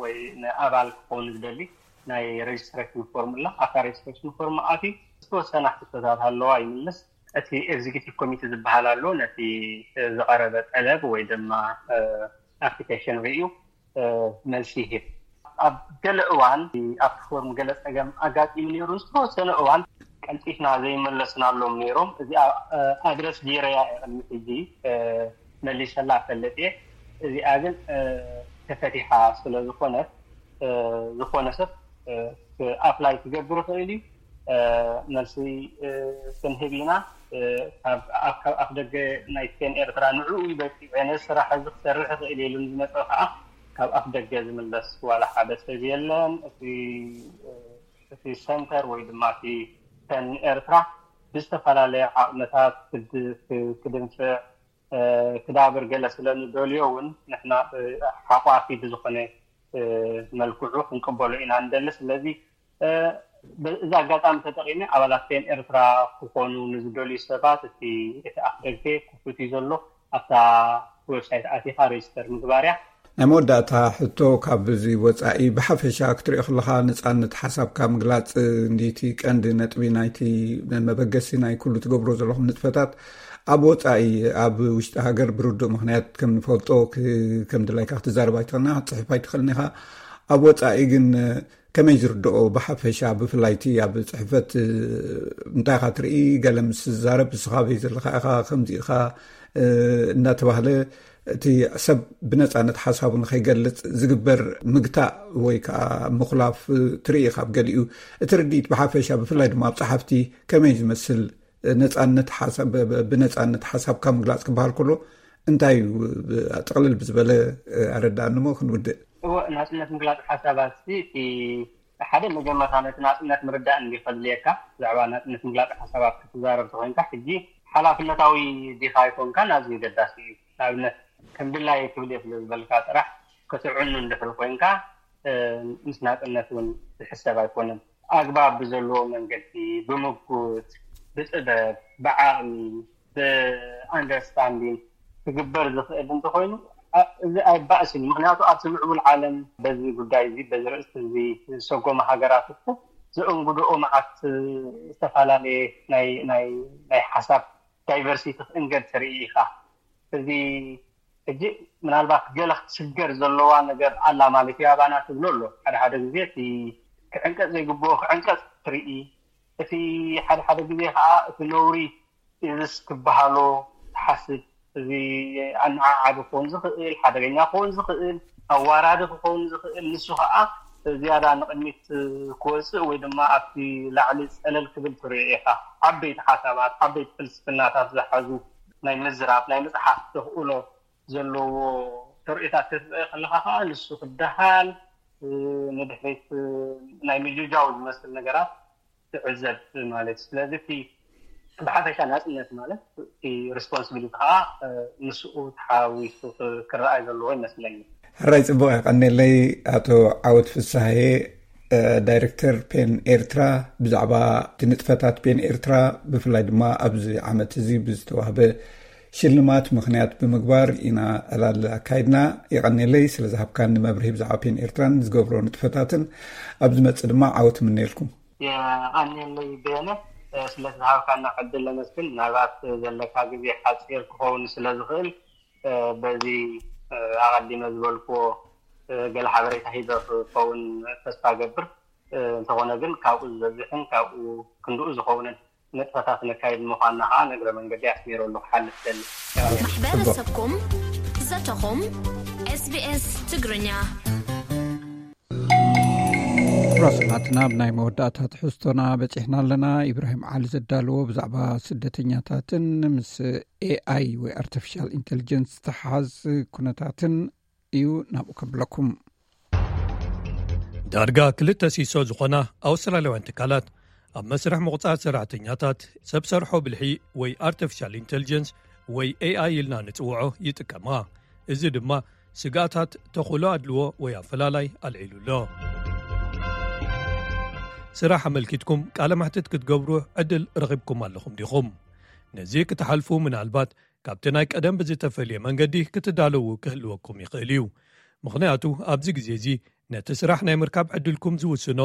ወይ ንኣባል ክኸውን ዝደሊ ናይ ሬጅስትሬሽን ፎርም ኣላ። ኣብታ ሬጅስትሬሽን ፎርም ኣትዩ ዝተወሰና ሕቶታት ኣለዋ ይምልስ። እቲ ኤግዚኪቲቭ ኮሚቴ ዝበሃል ኣሎ። ነቲ ዝቐረበ ጠለብ ወይ ድማ ኣፕሊኬሽን ርእዩ መልሲ ይህብ። ኣብ ገለ እዋን ኣብቲ ፎርም ገለ ፀገም ኣጋጢሙ ነይሩ። ዝተወሰነ እዋን ቀልጢፍና ዘይመለስናሎም ነይሮም። እዚኣ ኣድረስ ገይረያ እየ ቅድሚ ሕጂ መሊሰላ እፈልጥ እየ። እዚኣ ግን ተፈቲሓ ስለ ዝኾነት ዝኾነ ሰብ ኣፕላይ ክገብር ይኽእል እዩ። መልሲ ክንህብ ኢና። ካብ ኣፍ ደገ ናይ ፔን ኤርትራ ንዕኡ እዩ በቂዑ፣ ነዚ ስራሕ እዚ ክሰርሕ ይኽእል ኢሉ ንዝመፀ ከዓ ካብ ኣፍ ደገ ዝምለስ ዋላ ሓደ ሰብ የለን። እቲ ሰንተር ወይ ድማ እቲ ፔን ኤርትራ ብዝተፈላለየ ዓቕምታት ክድንፍዕ ክዳብር ገለ ስለንደልዮ እውን ንሕና ሓቋፊ ብዝኾነ መልክዑ ክንቅበሎ ኢና ንደሊ። ስለዚ እዚ ኣጋጣሚ ተጠቒመ ኣባላት ፔን ኤርትራ ክኾኑ ንዝደልዩ ሰባት እቲ እቲ ኣፍደገ ክፉት እዩ ዘሎ። ኣብታ ዌብሳይት ኣቲኻ ሬጅስተር ምግባር እያ። ናይ መወዳእታ ሕቶ፣ ካብ እዚ ወፃኢ ብሓፈሻ ክትሪኦ ከለኻ ነፃነት ሓሳብካ ምግላፅ እንዲቲ ቀንዲ ነጥቢ ናይቲ መበገሲ ናይ ኩሉ ትገብሮ ዘለኹም ንጥፈታት ኣብ ወፃኢ፣ ኣብ ውሽጢ ሃገር ብርዱእ ምክንያት ከም ንፈልጦ ክ- ከም ድላይካ ክትዛረብ ኣይትኽእልና ክትፅሕፍ ኣይትኽእልን ኢኻ። ኣብ ወፃኢ ግን ከመይ ዝርድኦ ብሓፈሻ ብፍላይ እቲ ኣብ ፅሕፈት እንታይ ኢኻ ትርኢ? ገለ ምስ ዝዛረብ ንስኻ በይ ዘለኻ ኢኻ ከምዚ ኢኻ እንዳተባህለ እቲ ሰብ ብነፃነት ሓሳቡ ንኸይገልፅ ዝግበር ምግታእ ወይ ከዓ ምኹላፍ ትርኢ ኢኻ ኣብ ገሊኡ። እቲ ርድኢት ብሓፈሻ ብፍላይ ድማ ኣብ ፀሓፍቲ ከመይ ዝመስል ነፃነት ሓሳብ ብነፃነት ሓሳብካ ምግላፅ ክበሃል ከሎ እንታይ እዩ? ጥቕልል ብዝበለ ኣረዳእንሞ ክንውድእ። እወ፣ ናፅነት ምግላፅ ሓሳባት እቲ ሓደ መጀመርታ ነቲ ናፅነት ምርዳእ እንዲ ከድልየካ። ብዛዕባ ናፅነት ምግላፅ ሓሳባት ክትዛረብ ተኮይንካ ሕጂ ሓላፍነታዊ ዲኻ ኣይኮንካ ናዚ ገዳሲ እዩ። ንኣብነት ከም ድላየ ክብል እየ ስለ ዝበልካ ጥራሕ ክትዕኑ እንድሕር ኮይንካ ምስ ናፅነት እውን ዝሕሰብ ኣይኮነን። ኣግባብ ብዘለዎ መንገዲ ብምጉት ብጥበብ ብዓቕሚ ብኣንደርስታንዲንግ ክግበር ዝኽእል እንተኮይኑ እዚ ኣይባእስን። ምክንያቱ ኣብቲ ምዕቡል ዓለም በዚ ጉዳይ እዚ በዚ ርእስቲ እዚ ዝሰጎመ ሃገራት እኮ ዘእንግድኦ መዓት ዝተፈላለየ ናይ ሓሳብ ዳይቨርሲቲ ክእንገድ ትርኢ ኢኻ። እዚ ሕጂ ምናልባት ገለ ክትስገር ዘለዋ ነገር ኣላ ማለት እዩ ኣባና ትብሎ ኣሎ። ሓደ ሓደ ግዜ እቲ ክዕንቀፅ ዘይግብኦ ክዕንቀፅ ትርኢ፣ እቲ ሓደ ሓደ ግዜ ከዓ እቲ ነውሪ ኢዝስ ክበሃሎ ትሓስብ። እዚ ኣነዓዓቢ ክኸውን ዝኽእል፣ ሓደገኛ ክኸውን ዝኽእል፣ ኣዋራዲ ክኸውን ዝኽእል፣ ንሱ ከዓ ዝያዳ ንቕድሚት ክወፅእ ወይ ድማ ኣብቲ ላዕሊ ፀለል ክብል ትሪኦ ኢኻ። ዓበይቲ ሓሳባት፣ ዓበይቲ ፍልስፍናታት ዝሓዙ ናይ ምዝራብ ናይ ምፅሓፍ ተኽእሎ ዘለዎ ተርእዮታት ክትርኢ ከለኻ ከዓ ንሱ ክደሃል ንድሕሪት ናይ ምጅጃው ዝመስል ነገራት ትዕዘብ ማለት እዩ። ስለዚ እቲ ብሓፈሻ ናፅነት ማለት እቲ ሪስፖንስቢሊቲ ከዓ ምስኡ ተሓዊሱ ክረኣይ ዘለዎ ይመስለኒ። ሕራይ ፅቡቅ የቀኔለይ። ኣቶ ዓወት ፍሳሃየ ዳይሬክተር ፔን ኤርትራ፣ ብዛዕባ እቲ ንጥፈታት ፔን ኤርትራ ብፍላይ ድማ ኣብዚ ዓመት እዚ ብዝተዋህበ ሽልማት ምክንያት ብምግባር ኢና ዕላል ኣካይድና። የቀኔለይ ስለ ዝሃብካኒ መብርሂ ብዛዕባ ፔን ኤርትራን ዝገብሮ ንጥፈታትን። ኣብ ዝመፅእ ድማ ዓወት ምነየልኩም። የቀኔለይ በየነ፣ ስለቲ ዝሃብካና ዕድል ለመስግን። ምናልባት ዘለካ ግዜ ሓፂር ክኸውን ስለ ዝኽእል በዚ ኣቐዲመ ዝበልክዎ ገለ ሓበሬታ ሂበ ክኸውን ተስፋ ገብር። እንተኾነ ግን ካብኡ ዝበዝሕን ካብኡ ክንድኡ ዝኸውንን ንጥፈታት ነካይድ ምዃንና ከዓ ንእግረ መንገዲ ኣስሚረሉ ክሓልፍ ደሊ። ማሕበረሰብኩም ዘተኹም ኤስቢኤስ ትግርኛ። ራስናትና ኣብ ናይ መወዳእታ ትሕዝቶና በፂሕና ኣለና። ኢብራሂም ዓሊ ዘዳለዎ ብዛዕባ ስደተኛታትን ምስ ኤኣይ ወይ ኣርቲፊሻል ኢንቴሊጀንስ ዝተሓዝ ኩነታትን እዩ። ናብኡ ከብለኩም። ዳርጋ ክልተ ሲሶ ዝኾና ኣውስትራልያውያን ትካላት ኣብ መስርሕ ምቑጻር ሰራሕተኛታት ሰብ ሰርሖ ብልሒ ወይ ኣርቲፊሻል ኢንቴሊጀንስ ወይ ኤኣይ ኢልና ንጽውዖ ይጥቀማ። እዚ ድማ ስግኣታት ተኽእሎ ኣድልዎ ወይ ኣፈላላይ ኣልዒሉ ኣሎ። ስራሕ ኣመልኪትኩም ቃለ መሕትት ክትገብሩ ዕድል ረኺብኩም ኣለኹም ዲኹም? ነዚ ክትሓልፉ ምናልባት ካብቲ ናይ ቀደም ብዝተፈልየ መንገዲ ክትዳለዉ ክህልወኩም ይኽእል እዩ። ምኽንያቱ ኣብዚ ግዜ እዚ ነቲ ስራሕ ናይ ምርካብ ዕድልኩም ዝውስኖ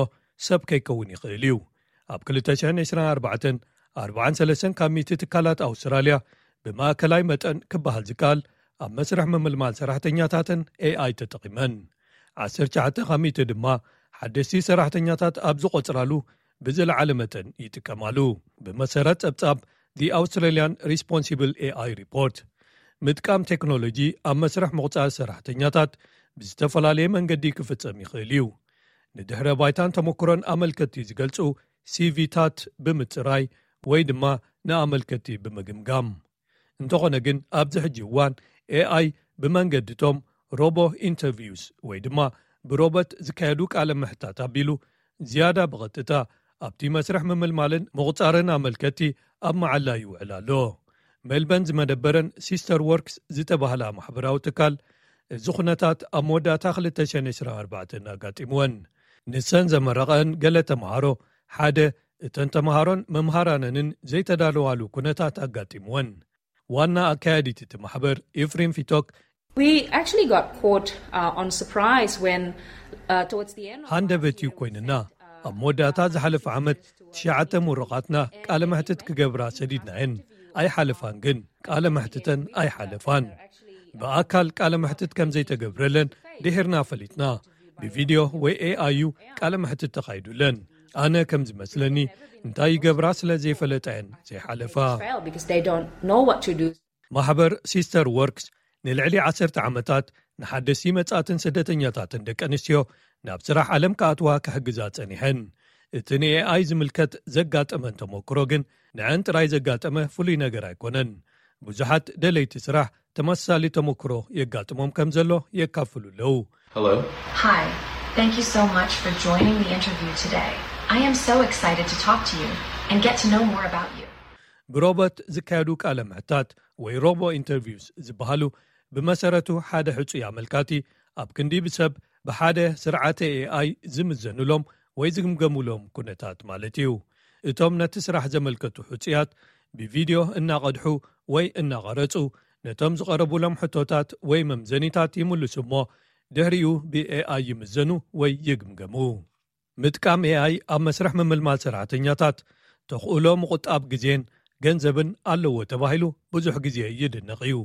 ሰብ ከይከውን ይኽእል እዩ። ኣብ ክልተ ሽሕን ዕስራን ኣርባዕተን ኣርባዓን ሰለስተን ካብ ሚእቲ ትካላት ኣውስትራልያ ብማእከላይ መጠን ክበሃል ዝከኣል ኣብ መስርሕ ምምልማል ሰራሕተኛታትን ኤኣይ ተጠቒመን። ዓሰርተ ትሽዓተ ካብ ሚእቲ ድማ ሓደስቲ ሰራሕተኛታት ኣብ ዝቖጽራሉ ብዝለዓለ መጠን ይጥቀማሉ። ብመሰረት ጸብጻብ The Australian Responsible ኤኣይ Report፣ ምጥቃም ቴክኖሎጂ ኣብ መስርሕ ምቑጻር ሰራሕተኛታት ብዝተፈላለየ መንገዲ ክፍጸም ይኽእል እዩ። ንድሕረ ባይታን ተመክሮን ኣመልከትቲ ዝገልጹ ሲቪታት ብምጽራይ ወይ ድማ ንኣመልከትቲ ብምግምጋም። እንተኾነ ግን ኣብዚ ሕጂ እዋን ኤኣይ ብመንገድቶም ሮቦ ኢንተርቪውስ ወይ ድማ ብሮቦት ዝካየዱ ቃለ ምሕታት ኣቢሉ ዝያዳ ብቐጥታ ኣብቲ መስርሕ ምምልማልን ምቑጻርን ኣመልከትቲ ኣብ መዓላ ይውዕል ኣሎ። ሜልበን ዝመደበረን ሲስተር ወርክስ ዝተባህላ ማሕበራዊ ትካል፣ እዚ ኩነታት ኣብ መወዳእታ ክልተ ሽሕን ዕስራን ኣርባዕተን ኣጋጢምወን። ንሰን ዘመረቐን ገለ ተምሃሮ ሓደ እተን ተምሃሮን መምሃራነንን ዘይተዳለዋሉ ኩነታት ኣጋጢምወን። ዋና ኣካያዲት እቲ ማሕበር ኤፍሬም ፊቶክ፣ We actually got caught uh, on surprise when uh, towards the end of ሃንደበት እዩ ኮይንና። ኣብ መወዳእታ ዝሓለፈ ዓመት ትሽዓተ ምሩቓትና ቃለ መሕትት ክገብራ ሰዲድናየን። ኣይሓለፋን፣ ግን ቃለ መሕትተን ኣይሓለፋን። ብኣካል ቃለ መሕትት ከም ዘይተገብረለን ድሒርና ፈሊጥና። ብቪድዮ ወይ ኤኣይ እዩ ቃለ መሕትት ተኻይዱለን። ኣነ ከም ዝመስለኒ እንታይ ይገብራ ስለ ዘይፈለጣየን ዘይሓለፋ። Fail because they don't know what to do. ማሕበር ሲስተር ወርክስ ንልዕሊ ዓሰርተ ዓመታት ንሓደስቲ መጻትን ስደተኛታትን ደቂ ኣንስትዮ ናብ ስራሕ ዓለም ክኣትዋ ክሕግዛ ጸኒሐን። እቲ ንኤኣይ ዝምልከት ዘጋጠመን ተመክሮ ግን ንዐን ጥራይ ዘጋጠመ ፍሉይ ነገር ኣይኮነን። ብዙሓት ደለይቲ ስራሕ ተመሳሳሊ ተመክሮ የጋጥሞም ከም ዘሎ የካፍሉ ኣለዉ። Hello. Hi. Thank you so much for joining the interview today. I am so excited to talk to you and get to know more about you. ብሮቦት ዝካየዱ ቃለ ምሕታት ወይ ሮቦ ኢንተርቪውስ ዝበሃሉ ብመሰረቱ ሓደ ሕጹይ ኣመልካቲ ኣብ ክንዲ ብሰብ ብሓደ ስርዓተ ኤኣይ ዝምዘኑሎም ወይ ዝግምገሙሎም ኩነታት ማለት እዩ። እቶም ነቲ ስራሕ ዘመልከቱ ሕጹያት ብቪድዮ እናቐድሑ ወይ እናቐረጹ ነቶም ዝቐረቡሎም ሕቶታት ወይ መምዘኒታት ይምልሱ እሞ ድሕሪኡ ብኤኣይ ይምዘኑ ወይ ይግምገሙ። ምጥቃም ኤኣይ ኣብ መስርሕ ምምልማል ሰራሕተኛታት ተኽእሎ ምቑጣብ ግዜን ገንዘብን ኣለዎ ተባሂሉ ብዙሕ ግዜ ይድነቕ እዩ።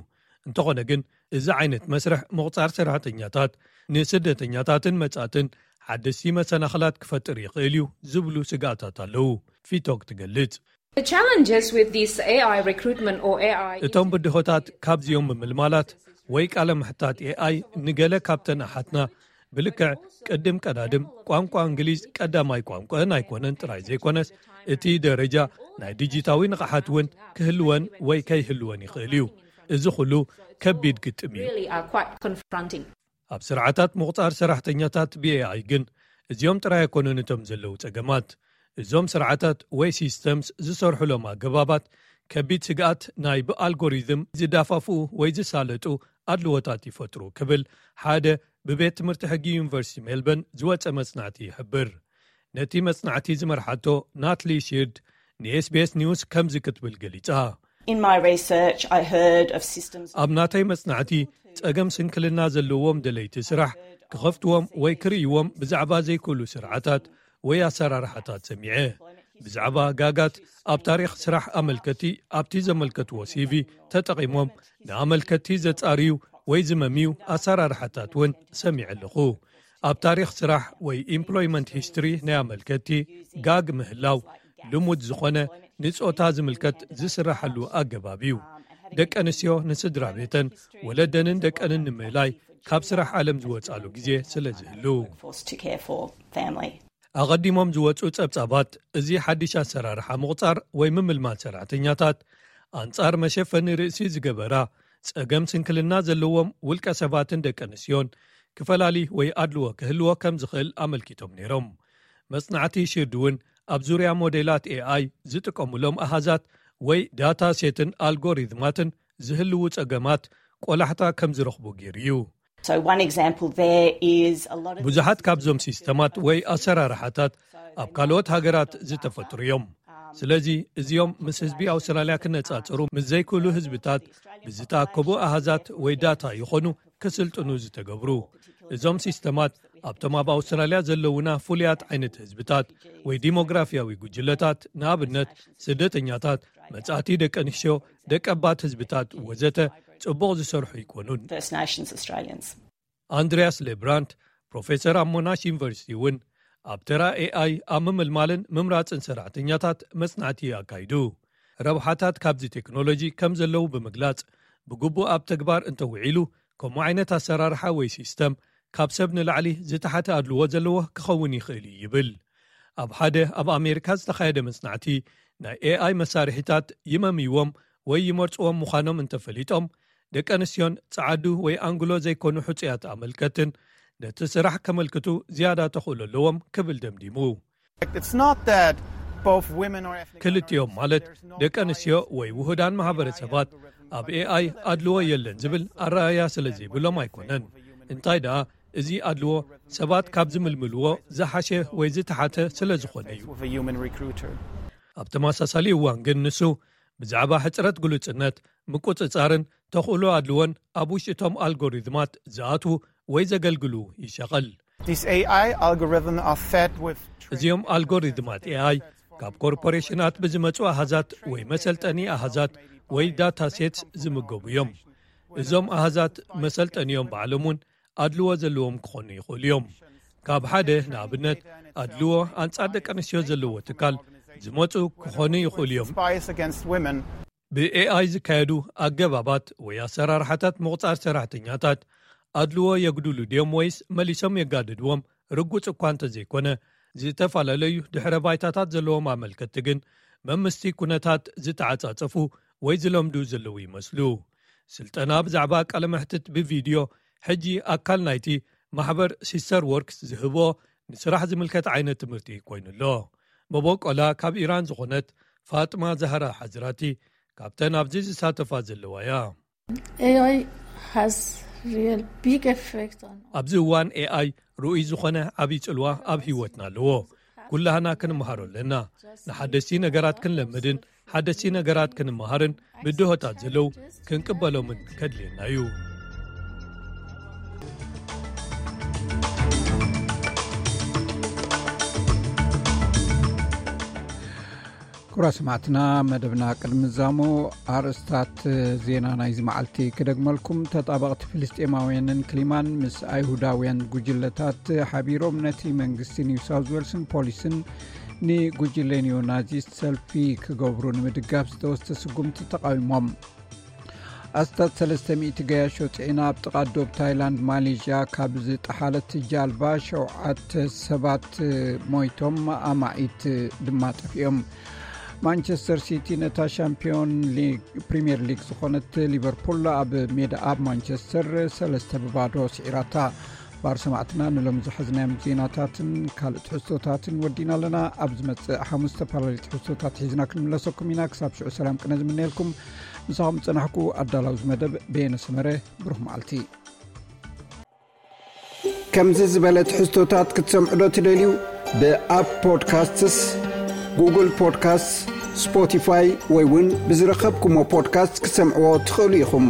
እንተኾነ ግን እዚ ዓይነት መስርሕ ምቑጻር ሰራሕተኛታት ንስደተኛታትን መጻትን ሓደስቲ መሰናኽላት ክፈጥር ይኽእል እዩ ዝብሉ ስግኣታት ኣለዉ። ፊቶክ ትገልጽ። The challenges with this A I recruitment or A I እቶም ብድሆታት ካብዚኦም ምምልማላት ወይ ቃለ ምሕታት ኤኣይ ንገለ ካብተን ኣሓትና ብልክዕ ቅድም ቀዳድም ቋንቋ እንግሊዝ ቀዳማይ ቋንቋን ኣይኮነን ጥራይ ዘይኮነስ እቲ ደረጃ ናይ ዲጂታዊ ንቕሓት እውን ክህልወን ወይ ከይህልወን ይኽእል እዩ። እዚ ኩሉ ከቢድ ግጥም እዩ። Really are quite confronting. ኣብ ስርዓታት ምቑጻር ሰራሕተኛታት ብኤኣይ ግን እዚኦም ጥራይ ኣይኮኑን እቶም ዘለዉ ጸገማት። እዞም ስርዓታት ወይ ሲስተምስ ዝሰርሑሎም ኣገባባት ከቢድ ስግኣት ናይ ብኣልጎሪዝም ዝዳፋፍኡ ወይ ዝሳለጡ ኣድልዎታት ይፈጥሩ ክብል ሓደ ብቤት ትምህርቲ ሕጊ ዩኒቨርሲቲ ሜልበርን ዝወጸ መጽናዕቲ ይሕብር። ነቲ መጽናዕቲ ዝመርሓቶ ናትሊ ሺርድ ንኤስቢኤስ ኒውስ ከምዚ ክትብል ገሊጻ። In my research, I heard of systems. ኣብ ናተይ መጽናዕቲ ጸገም ስንክልና ዘለዎም ደለይቲ ስራሕ ክኸፍትዎም ወይ ክርእይዎም ብዛዕባ ዘይክእሉ ስርዓታት ወይ ኣሰራርሓታት ሰሚዐ። ብዛዕባ ጋጋት ኣብ ታሪኽ ስራሕ ኣመልከቲ ኣብቲ ዘመልከትዎ ሲቪ ተጠቒሞም ንኣመልከቲ ዘጻርዩ ወይ ዝመምዩ ኣሰራርሓታት እውን ሰሚዐ ኣለኹ። ኣብ ታሪኽ ስራሕ ወይ ኢምፕሎይመንት ሂስትሪ ናይ ኣመልከቲ ጋግ ምህላው ልሙድ ዝኾነ ንጾታ ዝምልከት ዝስራሓሉ ኣገባብ እዩ። ደቂ ኣንስትዮ ንስድራ ቤተን ወለደንን ደቀንን ንምእላይ ካብ ስራሕ ዓለም ዝወጻሉ ግዜ ስለ ዝህሉ። Forced to care for family. ኣቐዲሞም ዝወጹ ጸብጻባት እዚ ሓድሽ ኣሰራርሓ ምቑጻር ወይ ምምልማል ሰራሕተኛታት ኣንጻር መሸፈኒ ርእሲ ዝገበራ ጸገም ስንክልና ዘለዎም ውልቀ ሰባትን ደቂ ኣንስትዮን ክፈላሊ ወይ ኣድልዎ ክህልዎ ከም ዝኽእል ኣመልኪቶም ነይሮም። መጽናዕቲ ሽርድ እውን ኣብ ዙርያ ሞዴላት ኤኣይ ዝጥቀሙሎም ኣሃዛት ወይ ዳታ ሴትን ኣልጎሪዝማትን ዝህልዉ ጸገማት ቆላሕታ ከም ዝረኽቡ ገይሩ እዩ። So one example there is a lot of ብዙሓት ካብዞም ሲስተማት ወይ ኣሰራርሓታት ኣብ ካልኦት ሃገራት ዝተፈጥሩ እዮም። ስለዚ እዚኦም ምስ ህዝቢ ኣውስትራልያ ክነጻጸሩ ምስ ዘይክእሉ ህዝብታት ብዝተኣከቡ ኣሃዛት ወይ ዳታ ይኾኑ ክስልጥኑ ዝተገብሩ። እዞም ሲስተማት ኣብቶም ኣብ ኣውስትራልያ ዘለውና ፍሉያት ዓይነት ህዝብታት ወይ ዲሞግራፊያዊ ጉጅለታት፣ ንኣብነት ስደተኛታት፣ መጻእቲ ደቂ ኣንስትዮ፣ ደቀባት ህዝብታት ወዘተ ጽቡቕ ዝሰርሑ ኣይኮኑን። First Nations Australians. ኣንድሪያስ ሌብራንት ፕሮፌሰር ኣብ ሞናሽ ዩኒቨርሲቲ እውን ኣብ ተራ ኤኣይ ኣብ ምምልማልን ምምራጽን ሰራሕተኛታት መጽናዕቲ ኣካይዱ። ረብሓታት ካብዚ ቴክኖሎጂ ከም ዘለዉ ብምግላጽ ብግቡእ ኣብ ተግባር እንተውዒሉ ከምኡ ዓይነት ኣሰራርሓ ወይ ሲስተም ካብ ሰብ ንላዕሊ ዝተሓተ ኣድልዎ ዘለዎ ክኸውን ይኽእል እዩ ይብል። ኣብ ሓደ ኣብ ኣሜሪካ ዝተኻየደ መጽናዕቲ ናይ ኤኣይ መሳርሒታት ይመምይዎም ወይ ይመርጽዎም ምዃኖም እንተፈሊጦም ደቂ ኣንስትዮን ጸዓዱ ወይ ኣንግሎ ዘይኮኑ ሕጹያት ኣመልከትን ነቲ ስራሕ ከመልክቱ ዝያዳ ተኽእሎ ኣለዎም ክብል ደምዲሙ። It's not that ክልቲኦም ማለት ደቂ ኣንስትዮ ወይ ውሁዳን ማሕበረሰባት ኣብ ኤኣይ ኣድልዎ የለን ዝብል ኣረኣያ ስለ ዘይብሎም ኣይኮነን። እንታይ ደኣ፣ እዚ ኣድልዎ ሰባት ካብ ዝምልምልዎ ዝሓሸ ወይ ዝተሓተ ስለ ዝኾነ እዩ። ኣብ ተመሳሳሊ እዋን ግን ንሱ ብዛዕባ ሕጽረት ግሉጽነት፣ ምቁጽጻርን ተኽእሎ ኣድልዎን ኣብ ውሽጢ እቶም ኣልጎሪዝማት ዝኣትዉ ወይ ዘገልግሉ ይሸቐል። These A I algorithms are fed with እዚኦም ኣልጎሪዝማት ኤኣይ ካብ ኮርፖሬሽናት ብዝመጹ ኣሃዛት ወይ መሰልጠኒ ኣሃዛት ወይ ዳታ ሴትስ ዝምገቡ እዮም። እዞም ኣሃዛት መሰልጠኒኦም ባዕሎም እውን ኣድልዎ ዘለዎም ክኾኑ ይኽእሉ እዮም። ካብ ሓደ ንኣብነት ኣድልዎ ኣንጻር ደቂ ኣንስትዮ ዘለዎ ትካል ዝመጹ ክኾኑ ይኽእሉ እዮም። Bias against women. ብኤኣይ ዝካየዱ ኣገባባት ወይ ኣሰራርሓታት ምቑጻር ሰራሕተኛታት ኣድልዎ የጉድሉ ድዮም ወይስ መሊሶም የጋድድዎም ርጉጽ እኳ እንተዘይኮነ፣ ዝተፈላለዩ ድሕረ ባይታታት ዘለዎም ኣመልከትቲ ግን መምስቲ ኩነታት ዝተዓጻጸፉ ወይ ዝለምዱ ዘለዉ ይመስሉ። ስልጠና ብዛዕባ ቃለ መሕትት ብቪድዮ ሕጂ ኣካል ናይቲ ማሕበር ሲስተር ወርክስ ዝህቦ ንስራሕ ዝምልከት ዓይነት ትምህርቲ ኮይኑ ኣሎ። መበቆላ ካብ ኢራን ዝኾነት ፋጥማ ዛህራ ሓዝራቲ ካብተን ኣብዚ ዝሳተፋ ዘለዋ እያ። A I has real big effect on ኣብዚ እዋን ኤኣይ ርኡይ ዝኾነ ዓብዪ ጽልዋ ኣብ ህይወትና ኣለዎ። ኩላህና ክንመሃሮ ኣለና። ንሓደስቲ ነገራት ክንለምድን ሓደስቲ ነገራት ክንመሃርን ብድሆታት ዘለዉ ክንቅበሎምን ከድልየና እዩ። ክቡራት ሰማዕትና፣ መደብና ቅድሚ ዛሞ ኣርእስታት ዜና ናይዚ መዓልቲ ክደግመልኩም። ተጣበቕቲ ፍልስጤማውያንን ክሊማን ምስ ኣይሁዳውያን ጉጅለታት ሓቢሮም ነቲ መንግስቲ ኒው ሳውዝ ዌልስን ፖሊስን ንጉጅለ ኒዮናዚስት ሰልፊ ክገብሩ ንምድጋፍ ዝተወስደ ስጉምቲ ተቃዊሞም። ኣስታት ሰለስተ ሚእቲ ገያሾ ጽዒና ኣብ ጥቓ ዶብ ታይላንድ ማሌዥያ ካብ ዝጠሓለት ጃልባ ሸውዓተ ሰባት ሞይቶም፣ ኣማኢት ድማ ጠፊኦም። ማንቸስተር ሲቲ ነታ ሻምፒዮን ሊግ ፕሪምየር ሊግ ዝኾነት ሊቨርፑል ኣብ ሜዳ ኣብ ማንቸስተር ሰለስተ ብባዶ ስዒራታ። ባር ሰማዕትና ንሎም ዝሓዝናዮም ዜናታትን ካልእ ትሕዝቶታትን ወዲና ኣለና። ኣብ ዝመጽእ ሓሙስ ዝተፈላለዩ ትሕዝቶታት ሒዝና ክንምለሰኩም ኢና። ክሳብ ሽዑ ሰላም ቅነ ዝምነየልኩም። ምሳኹም ዝጸናሕኩ ኣዳላዊ ዝመደብ በየነ ሰመረ። ብሩኽ መዓልቲ። ከምዚ ዝበለ ትሕዝቶታት ክትሰምዑ ዶ ትደልዩ? ብኣፕ ፖድካስትስ፣ ጉግል ፖድካስትስ፣ ስፖቲፋይ ወይ እውን ብዝረኸብኩሞ ፖድካስት ክትሰምዕዎ ትኽእሉ ኢኹም።